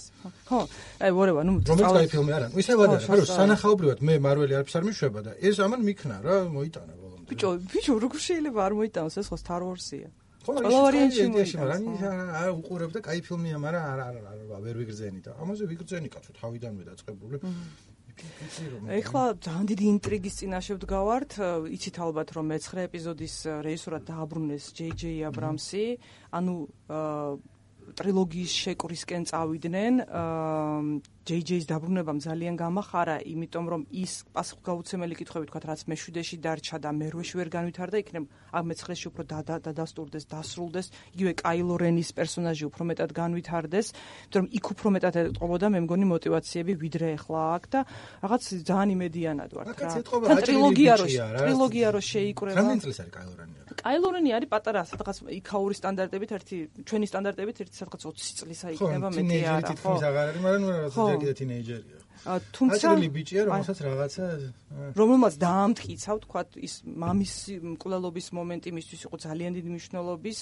ხო, აი ვორევა, ნუ რომელიც კაი ფილმი არა. ისე ვადარ, რომ სანახაობრივად მე Marvel-ი არაფერს არ მიშვება და ეს ამან მიქნა რა, მოიტანა ბოლომდე. ბიჭო, როგორ შეიძლება არ მოიტანოს ეს ხო Star Wars-ია. ყველა ვარიანტი არა უყურებ და კაი ფილმია, მაგრამ არა ვერ ვიგრძენი და ამაზე ვიგრძენი კაცო თავიდანვე დაწყებული. ეხლა ძალიან დიდი ინტრიგის წინაშე ვდგავართ. იცით ალბათ რომ მე-9 ეპიზოდის რეჟისორად დააბრუნეს J.J. Abrams-ი, ანუ ტრილოგიის შეკვრისკენ წავიდნენ. JJ-ის დაბრუნებამ ძალიან გამახარა, იმიტომ რომ ის პასუხგაუცემელი კითხვები თქვათ, რაც მე-7-ში დარჩა და მე-8-ში ვერ განვითარდა, იქნებ ამ მე-9-ში უფრო დადასტურდეს, დასრულდეს, იგივე Kylo Ren-ის პერსონაჟი უფრო მეტად განვითარდეს, იმიტომ რომ იქ უფრო მეტად ეტყობოდა მე მგონი мотиваციები ვიდრე ახლა აქ და რაღაც ძალიან იმედიანად ვარ რა. თან ტრილოგია რო შეიკრება. რამდენი წლის არის Kylo Ren-ი? Kylo Ren-ი არის პატარა, სადღაც იქაური სტანდარტებით, ჩვენი სტანდარტებით, სადღაც 20 წლისა იქნება მეტი არა, ხო? თითქმის აღარ არის, მაგრამ ნუ რაღაცა კიდე თინეიჯერია. თუმცა აჭრილი ბიჭია, რომელსაც რაღაცა რომელმაც დაამტკიცა, ვთქვათ, ის მამის მკვლელობის მომენტი მისთვის იყო ძალიან დიდი მნიშვნელობის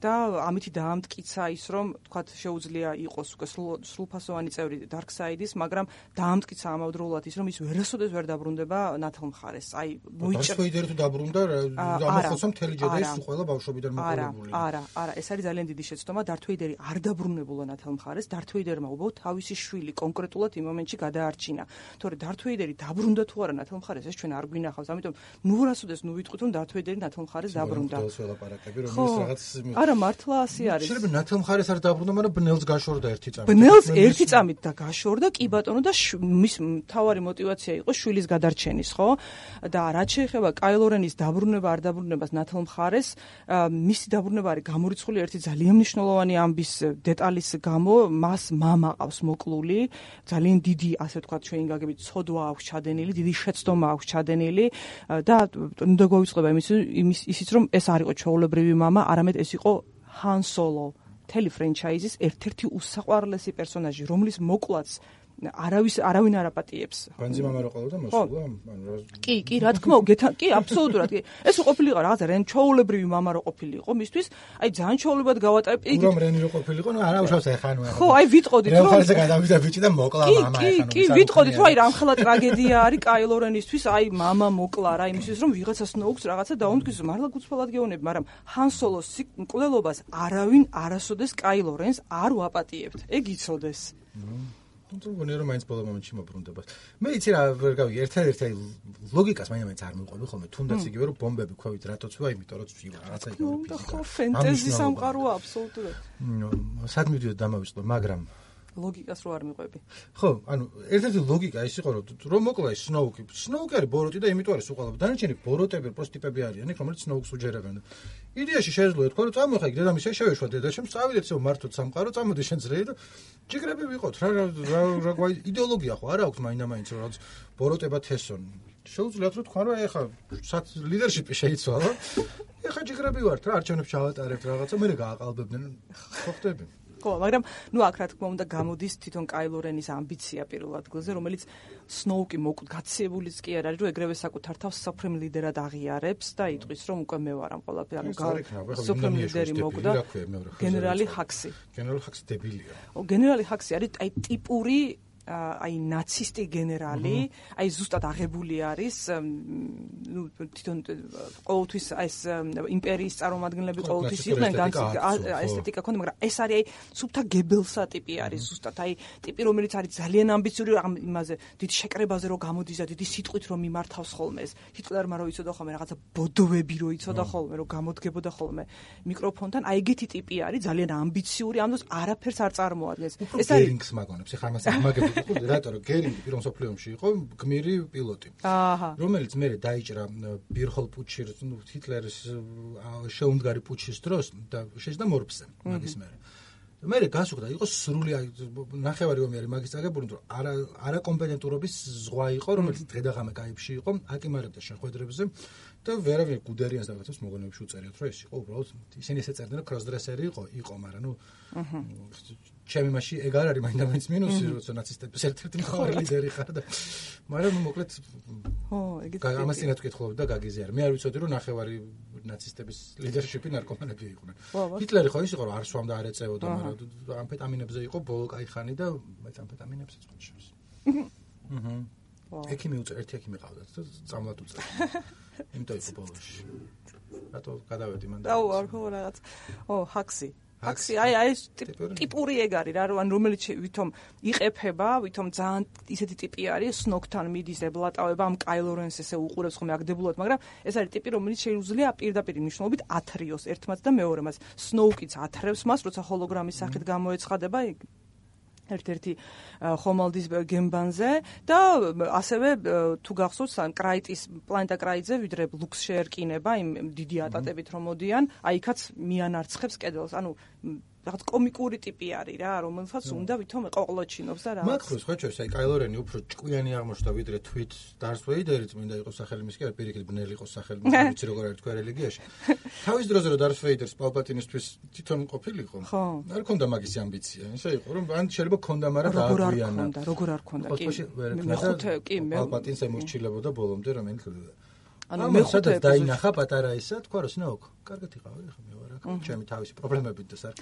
და ამითი დაამტკიცა ის, რომ ვთქვათ, შეუძლია იყოს უკვე სრულფასოვანი წევრი Dark Side-ის, მაგრამ დაამტკიცა ამავდროულად ის, რომ ის ვერასოდეს ვერ დაბრუნდება ნათელ მხარეს. აი, მოიჭრა Darth Vader-ი თუ დაბრუნდა, ამახსოვს მთელი ჯედაის ყველა ბავშვობიდან მოყოლებული. არა, ეს არის ძალიან დიდი შეცდომა. Darth Vader-ი არ დაბრუნებულა ნათელ მხარეს. Darth Vader-მა უბრალოდ თავისი შვილი კონკრეტულად იმ მომენტში გადაარჩინა. თორე Darth Vader-ი დაბრუნდა თუ არა ნათელ მხარეს, ეს ჩვენ არ გვინახავს. ამიტომ ვერასოდეს ვიტყვით, რომ Darth Vader-ი ნათელ მხარეს დაბრუნდა. არა, მართლა ასე არის. შეიძლება ნათელ მხარეს არ დაბრუნდა, მაგრამ ბნელს გაშორდა ერთი წამით. ბნელს ერთი წამით და გაშორდა, კი ბატონო, და მის მთავარი мотиваცია იყო შვილის გადარჩენის, ხო? და რაც შეეხება Kylo Ren-ის დაბრუნება არ დაბრუნებას ნათელ მხარეს, მისი დაბრუნება არის გამორიცხული ერთი ძალიან მნიშვნელოვანი ამბის დეტალის გამო, მას მამა ყავს მოკლული, ძალიან დიდი, ასე ვთქვათ, ჩვენი გაგებით ცოდვა აქვს ჩადენილი, დიდი შეცდომა აქვს ჩადენილი და უნდა გვავიწყდება ისიც, რომ ეს არ იყო ჩვეულებრივი მამა, არამედ ეს იყო Han Solo, მთელი ფრენჩაიზის ერთ-ერთი უსაყვარლესი პერსონაჟი, რომლის მოკლაც არავინ არ აპატიებს. განძი მამა რო ყოლოდა მოსულა, კი, რა თქმა უნდა, კი, აბსოლუტურად კი. ეს ყოფილიყო რაღაცა რენ ჩაულებრივი მამა რო ყოფილიყო მისთვის, აი ძალიან ჩაულებად გავატარებ. რომ რენი რო ყოფილიყო, ნუ არა უშავს ეხანო. ხო, აი ვიტყოდით რომ რელხაზე გადავიდა ბიჭი და მოკლა მამა ეხანო. კი, ვიტყოდით რომ აი რამხელა ტრაგედია არის Kylo Ren-ისთვის, აი მამა მოკლა რა იმისთვის რომ ვიღაცა Snoke-ს რაღაცა დაუმტკიცოს, მართლა გულწრფელად გეუბნები, მაგრამ Han Solo-ს მკვლელობას არავინ არასოდეს Kylo Ren-ს არ ვაპატიებთ. ეგ იცოდეს. თუმცა გონია რომ მაინც ბოლო მომენტში მოbrunდება. მე იცი რა ვერ გავიგე, ერთ-ერთი ლოგიკას მაინც არ მივყვები ხოლმე, თუნდაც იგივე რომ ბომბები ქვევით რატოც ვარ, იმიტომ რომ ცვივა რაღაცა იგივე ფიზიკა. ხო, ფენტეზი სამყაროა აბსოლუტურად. სად მივიდოდ დამავიწყო, მაგრამ ლოგიკას რო არ მიყვები. ხო, ანუ ერთ-ერთი ლოგიკა ის იყო რომ მოკლა ის Snoke. Snoke არის ბოროტი და იმიტომ არის უყალავ. დანარჩენი ბოროტები პროს ტიპები არიან, რომელიც Snoke-ს უჯერებენ. იდეაში შეეძლო თქვა რომ წამოხა იქ დედამისე შევეშვა დედაშემ, წავიდეთ ისე მართოთ სამყარო, წამოდი შენ ძრეი და ჯიგრები ვიყოთ. რა იდეოლოგია ხო არა აქვს მაინდა-მაინც რომ ბოროტება თესონ. შეუძლიათ რომ თქვა რომ ეხა ლიდერშიპი შეიცვალა. ეხა ჯიგრები ვართ რა, არჩევნებს ჩავატარებთ რაღაცა, მე გააყალბებდნენ. ხო ხდები. ხო, მაგრამ ნუ აქ რა თქმა უნდა გამოდის თვითონ Kylo Ren-ის ამბიცია პირველ ადგილზე, რომელიც Snoke-ი გაციებულიც კი არ არის, რომ ეგრევე საკუთარ თავს Supreme Leader-ად აღიარებს და იტყვის, რომ უკვე მე ვარ ამ ყველაფერი, ანუ Supreme Leader-ი მოკვდა გენერალი Hux-ი. გენერალი Hux დებილია. გენერალი Hux-ი არის აი ტიპური აი ნაცისტი გენერალი, აი ზუსტად აღებული არის, ნუ თვითონ ყოველთვის ეს იმპერიის წარმომადგენლები ყოველთვის იყვნენ ესთეტიკა ქონდა, მაგრამ ეს არის აი სუფთა გებელსა ტიპი არის ზუსტად, აი ტიპი რომელიც არის ძალიან ამბიციური იმაზე, დიდი შეკრებაზე რო გამოდის და დიდი სიტყვით რო მიმართავს ხოლმე ეს. ჰიტლერმა რო იცოდა ხოლმე რაღაცა ბოდოვები რო იცოდა ხოლმე, რო გამოდგებოდა ხოლმე მიკროფონთან, აი ეგეთი ტიპი არის, ძალიან ამბიციური, ამას არაფერს არ წარმოადგენს. ეს არის გერინგს მაგონებს, ეხლა ამას მაგები რატო რომ გერინგი პირველ მსოფლიოში იყო გმირი პილოტი. რომელიც მე დაიჭრა ბირჰოლ პუჩში, ნუ ჰიტლერის შეუმდგარი პუჩის დროს და შეჯდა მორბზე მაგის მერე. მე გასუხდა იყო სრული ნახევარი ომი არის მაგის წაგებული, რომ არა კომპეტენტურობის ზღვა იყო, რომელიც დღე-დაღამე კაიფში იყო, აკიმარებდა შეხვედრებზე და ვერავინ გუდერიანს რაღაცას მოგონებში უწერიოთ, რომ ეს იყო უბრალოდ ისინი ესე წერდნენ, რომ კროსდრესერი იყო, მაგრამ ნუ ჩემი მასში ეგ არ არის მაინდა-მაინც მინუსი, როცა ნაცისტების ერთ-ერთი მთავარი ლიდერი ხარ და მაგრამ მოკლედ ამას წინათ ვკითხულობ და გაგიზიარ. მე არ ვიცოდი რომ ნახევარი ნაცისტების ლიდერშიპი ნარკომანები იყვნენ. ჰიტლერი ხო ის იყო რომ არ სვამდა არ ეწეოდა, მაგრამ ამფეტამინებზე იყო ბოლო კაი ხანი და მეც ამფეტამინებსაც ხოშავს. ექიმი უწერ, ერთი ექიმი ყავდათ და წამლად უწერ. იმიტომ იყო ბოლოში. რატო გადავედი მან და არ ხო რაღაც. Hux-ი, აი ტიპური ეგ არის რა, რომელიც ვითომ იყეფება, ვითომ ძალიან ისეთი ტიპი არის, Snoke-თან მიდის ებლატავება, ამ Kylo Ren-ს ესე უყურებს ხოლმე აგდებულად, მაგრამ ეს არის ტიპი, რომელიც შეუძლია პირდაპირ მნიშვნელობით ათრიოს ერთმაც და მეორემაც. Snoke-იც ათრევს მას, როცა ჰოლოგრამის სახით გამოეცხადება ერთ-ერთი ხომალდის გემბანზე და ასევე თუ გახსოვთ პლანეტა კრაიტზე ვიდრე ლუქს შეერკინება იმ დიდი ატატებით რომ მოდიან, აი იქაც მიანარცხებს კედელს. ანუ რაღაც კომიკური ტიპი არის რა, რომელსაც უნდა ვითომ ეყოყლოჩინობს და რაღაც. მაგ ხო ჩვენს აი კაილო რენი უფრო ჭკვიანი აღმოჩნდა ვიდრე თვით დარს ვეიდერი წმინდა იყოს სახელი მისი, არ პირიქით ბნელი იყოს სახელი, ვიცი როგორ არის თქვენ რელიგიაში. თავის დროზე რომ დარს ვეიდერს პალპატინისთვის თვითონ ყოფილიყო. არ ქონდა მაგის ამბიცია, ისე იყო რომ ან შეიძლება ქონდა, მაგრამ დააგვიანა. როგორ არ ქონდა, კი. მეხუთე კი პალპატინს ემორჩილებოდა ბოლომდე რომელიც ანუ მეხუთე დაინახა პატარა ისა, თქვა რომ სნოუკ, კარგად იყავი, ხა მე ვარ აქ, ჩემი თავისი პრობლემებით და სარ.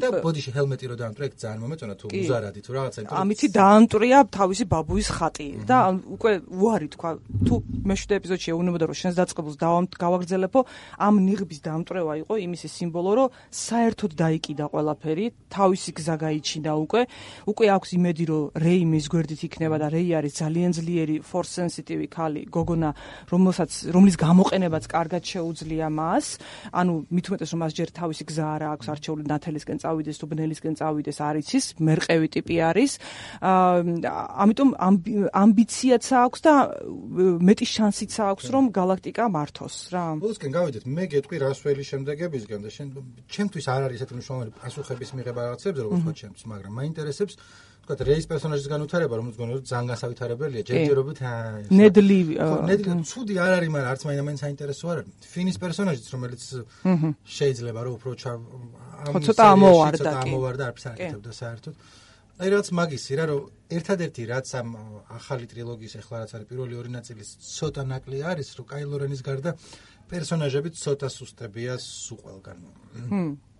და ბოდიში ჰელმეტი რო დაამტვრია, ძალიან მომეწონა თუ უზარადი თუ რაღაცა. ამითი დაამტვრია თავისი ბაბუის ხატი და უკვე უარი თქვა, თუ მეშვიდე ეპიზოდში ეუბნებოდა რომ შენს დაწყებულს გავაგრძელებო, ამ ნიღბის დაამტვრევა იყო იმისი სიმბოლო, რომ საერთოდ დაიკიდა ყველაფერი, თავისი გზა გაიჩინა უკვე აქვს იმედი რომ რეი მის გვერდით იქნება და რეი არის ძალიან ძლიერი force sensitive ქალი, გოგონა, რომლის გამოყენებაც კარგად შეუძლია მას, ანუ მით უმეტეს რომ მას ჯერ თავისი გზა არა აქვს არჩეული ნათელისკენ წავიდეს თუ ბნელისკენ წავიდეს არ იცის, მერყევი ტიპი არის. ამიტომ ამბიციაც აქვს და მეტი შანსიც აქვს რომ galaktika მართოს რა. ბოლოსკენ გავიდეთ, მე გეტყვი რასველი შემდეგებისგან და ჩემთვის არ არის ესეთი მნიშვნელოვანი პასუხების მიღება რაღაცებზე, როგორც თქვა ჩემთვის, მაგრამ მაინტერესებს თქვა რეის პერსონაჟის განვითარება, რომელიც გონია რომ ძალიან გასავითარებელია, ჯერჯერობით ნედლი ცუდი არ არის, მაგრამ არც მაინც საინტერესო არ არის. ფინის პერსონაჟიც, რომელიც შეიძლება რომ უფრო ცოტა ამოვარდა, არც არ აკეთებდა საერთოდ. აი რაღაც მაგისი რა, რომ ერთადერთი რაც ამ ახალი ტრილოგიის ახლა რაც არის პირველი ორი ნაწილის ცოტა ნაკლი არის, რომ კაილო რენის გარდა პერსონაჟები ცოტა სუსტებია სულ ყველგან.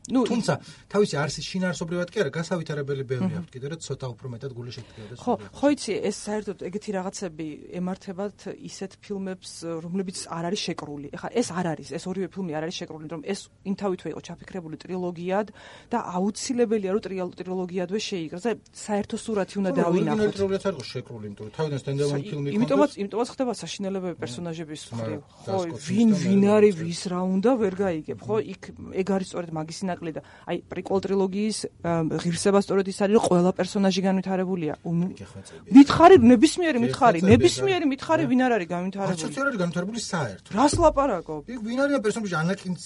თუმცა თავისი არსის შინაარსობრივად კი არა, გასავითარებელი ბევრი აქვს კიდე რომ ცოტა უფრო მეტად გული შეგდგებოდეს. ხო იცი, ეს საერთოდ ეგეთი რაღაცები ემართებათ ისეთ ფილმებს, რომლებიც არ არის შეკრული. ეხლა ეს არ არის, ეს ორივე ფილმი არ არის შეკრული, რომ ეს იმთავითვე იყო ჩაფიქრებული ტრილოგიად და აუცილებელია რომ ტრილოგიადვე შეიგროს და საერთო სურათი უნდა დავინახოთ. ორიგინალი ტრილოგიაც არ იყო შეკრული, იმიტომ რომ თავიდან სტენდალონ ფილმი იყო. იმიტომაც ხდება საშინელებები პერსონაჟების მხრივ. ხო, ვინ არის, ვის რა უნდა ვერ გაიგებ, ხო? იქ ეგ არის სწორედ მაგის და აი პრიკოლ ტრილოგიის ღირსება სწორედ ის არის რომ ყველა პერსონაჟი განვითარებულია. მითხარი ნებისმიერი მითხარი ვინ არ არის განვითარებული? არც არ არის განვითარებული საერთოდ. რას ლაპარაკობ? იქ ვინ არის პერსონაჟი ანაკინს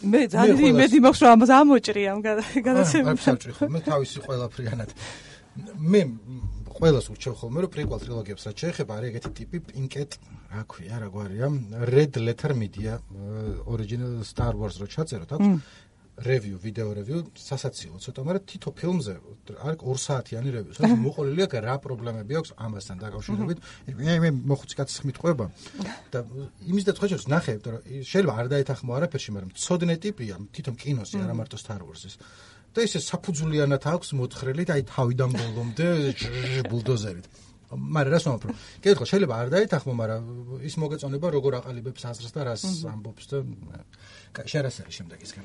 მე ძალიან იმედი მაქვს რომ ამას ამოჭრი ამ გადაცემას. მე თავისი ყველაფრიანად მე ყველას ურჩევ ხოლმე რომ პრიკვალ ტრილოგიებს რაც შეეხება არის ეგეთი ტიპი პინკეტ რა ქვია რა გვარია Red Letter Media original Star Wars რო ჩაწეროთ აქვს review video review სასაცილო ცოტა მაგრამ თითო ფილმზე არის 2 საათიანი review სადაც მოყოლილი აქვს რა პრობლემები აქვს ამასთან დაკავშირებით მე მოხუცი კაცის ხმით ყვება და იმის და ცხეჭებს ნახე რომ შეიძლება არ დაეთანხმო არაფერში მაგრამ მცოდნე ტიპია თვითონ კინოსი არა მარტო Star Wars-ის და ისე საფუძვლიანად აქვს მოთხრელი და აი თავიდან ბოლომდე ბულდოზერით. მაგრამ რას ვამბობ? კითხვა შეიძლება არ დაეთანხმო, მაგრამ ის მოგეწონება როგორ აყალიბებს აზრს და რას ამბობს და შერასარი შემდეგისგან.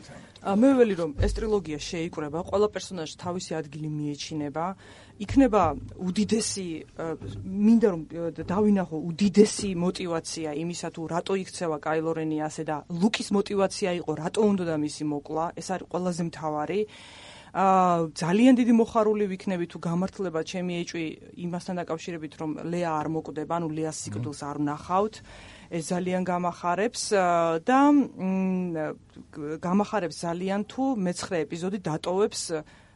მე ველი რომ ეს ტრილოგია შეიკრება, ყველა პერსონაჟი თავისი ადგილი მიეჩინება, იქნება უდიდესი მინდა რომ დავინახო უდიდესი мотиваცია იმისა თუ რატო იქცევა კაილო რენი ასე და ლუკის мотиваცია იყო რატო უნდა და მისი მოკლა, ეს არის ყველაზე მთავარი. ძალიან დიდი მოხარული ვიქნები თუ გამართლება ჩემი ეჭვი იმასთან დაკავშირებით რომ ლეა არ მოკვდება, ანუ ლეას სიკვდილს არ ვნახავთ. ეს ძალიან გამახარებს და გამახარებს ძალიან თუ მე-9 ეპიზოდი დატოვებს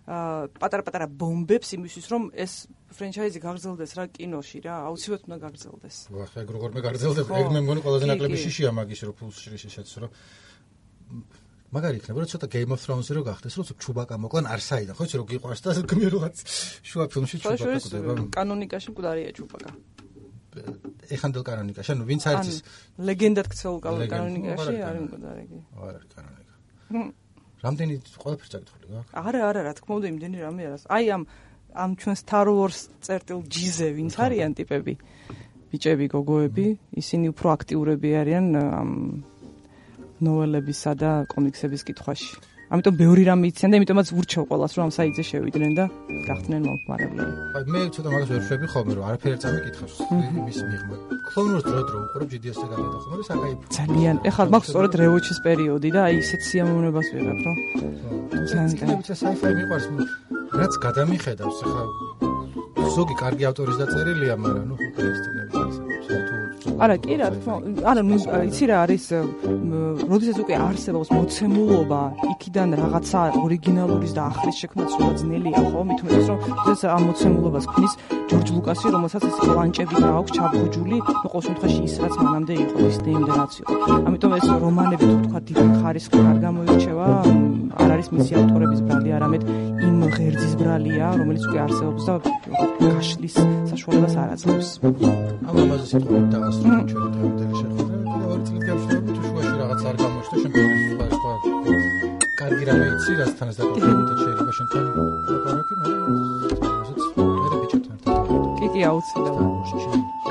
პატარ-პატარა ბომბებს იმისთვის რომ ეს ფრენჩაიზი გაგრძელდეს რა კინოში რა, აუცილებლად უნდა გაგრძელდეს. ვახ, ეგ როგორ მე გაგრძელდება? ეგ მე მგონი ყველაზე ნაკლები შიშია მაგის რო ფულს შიშეშეც რო მაგარი იქნება რომ ცოტა Game of Thrones-ი რო გახდეს, რომ ჩუბაკა მოკლან არსაიდან, ხო იცი რომ გიყვარს და გმირი რაღაც შუა ფილმში ჩუბაკა კვდება. კანონიკაში მკვდარია ჩუბაკა. ეხანდელ კანონიკაში, ანუ ვინც არის ის ლეგენდად ქცეულ კანონიკაში არის მკვდარი კი. არ არის კანონიკა. რამდენი ყველაფერს წაკითხული გაქვს? არა, რა თქმა უნდა, იმდენი რამე არა. აი ამ ჩვენ Star Wars წერტილ G-ზე ვინც არიან ტიპები, ბიჭები, გოგოები, ისინი უფრო აქტიურები არიან ამ ნოველებისა და კომიქსების კითხვაში. ამიტომ ბევრი რამე იციან და იმიტომაც ურჩევ ყველას რომ ამ საიტზე შევიდნენ და გახდნენ მომხმარებლები. აი მე ცოტა მაგას ვერ შვები ხოლმე რომ არაფერი არ წამიკითხავს იმის მიღმა. Clone Wars დრო უყურებ GDS-ზე გადადახო, მაგრამ საკაიფო. ძალიან. ეხლა მაქვს სწორედ რევოჩის პერიოდი და აი ისეთ სიამოვნებას ვიღებ რომ ძალიან sci-fi მიყვარს რაც გადამიხედავს ახლა ზოგი კარგი ავტორის დაწერილია, მაგრამ ნუ კრესტინების ასე თუ არა, კი რა თქმა უნდა. არა, იცი რა არის, როდესაც უკვე არსებობს მოცემულობა, იქიდან რაღაცა ორიგინალურის და ახლის შექმნაც უფრო ძნელია, ხო? მით უმეტეს რომ როდესაც ამ მოცემულობას ქმნის ჯორჯ ლუკასი, რომელსაც ეს პლანჭები და აქვს ჩაბუჯული, ნუ ყოველ შემთხვევაში ის რაც მანამდე იყო, Disney-მდე რაც იყო. ამიტომ ეს რომანები თუ თქვა დიდი ხარისხით არ გამოირჩევა, არ არის მისი ავტორების ბრალი, არამედ იმ ღერძის ბრალია, რომელიც უკვე არსებობს და გაშლის საშუალებას არ აძლევს. ამაზე სიტყვით დაასრულეთ ჩვენი დღევანდელი შეხვედრა. კიდევ ორი წელი გავშლები თუ შუაში რაღაც არ გამოჩნდა, შემდგომში სხვა კარგი რამე იცი, რასთანაც დაკავშირებით შეიძლება შენთან ლაპარაკი, მე რასაც მე ბიჭებთან ერთად. კი, აუცილებლად.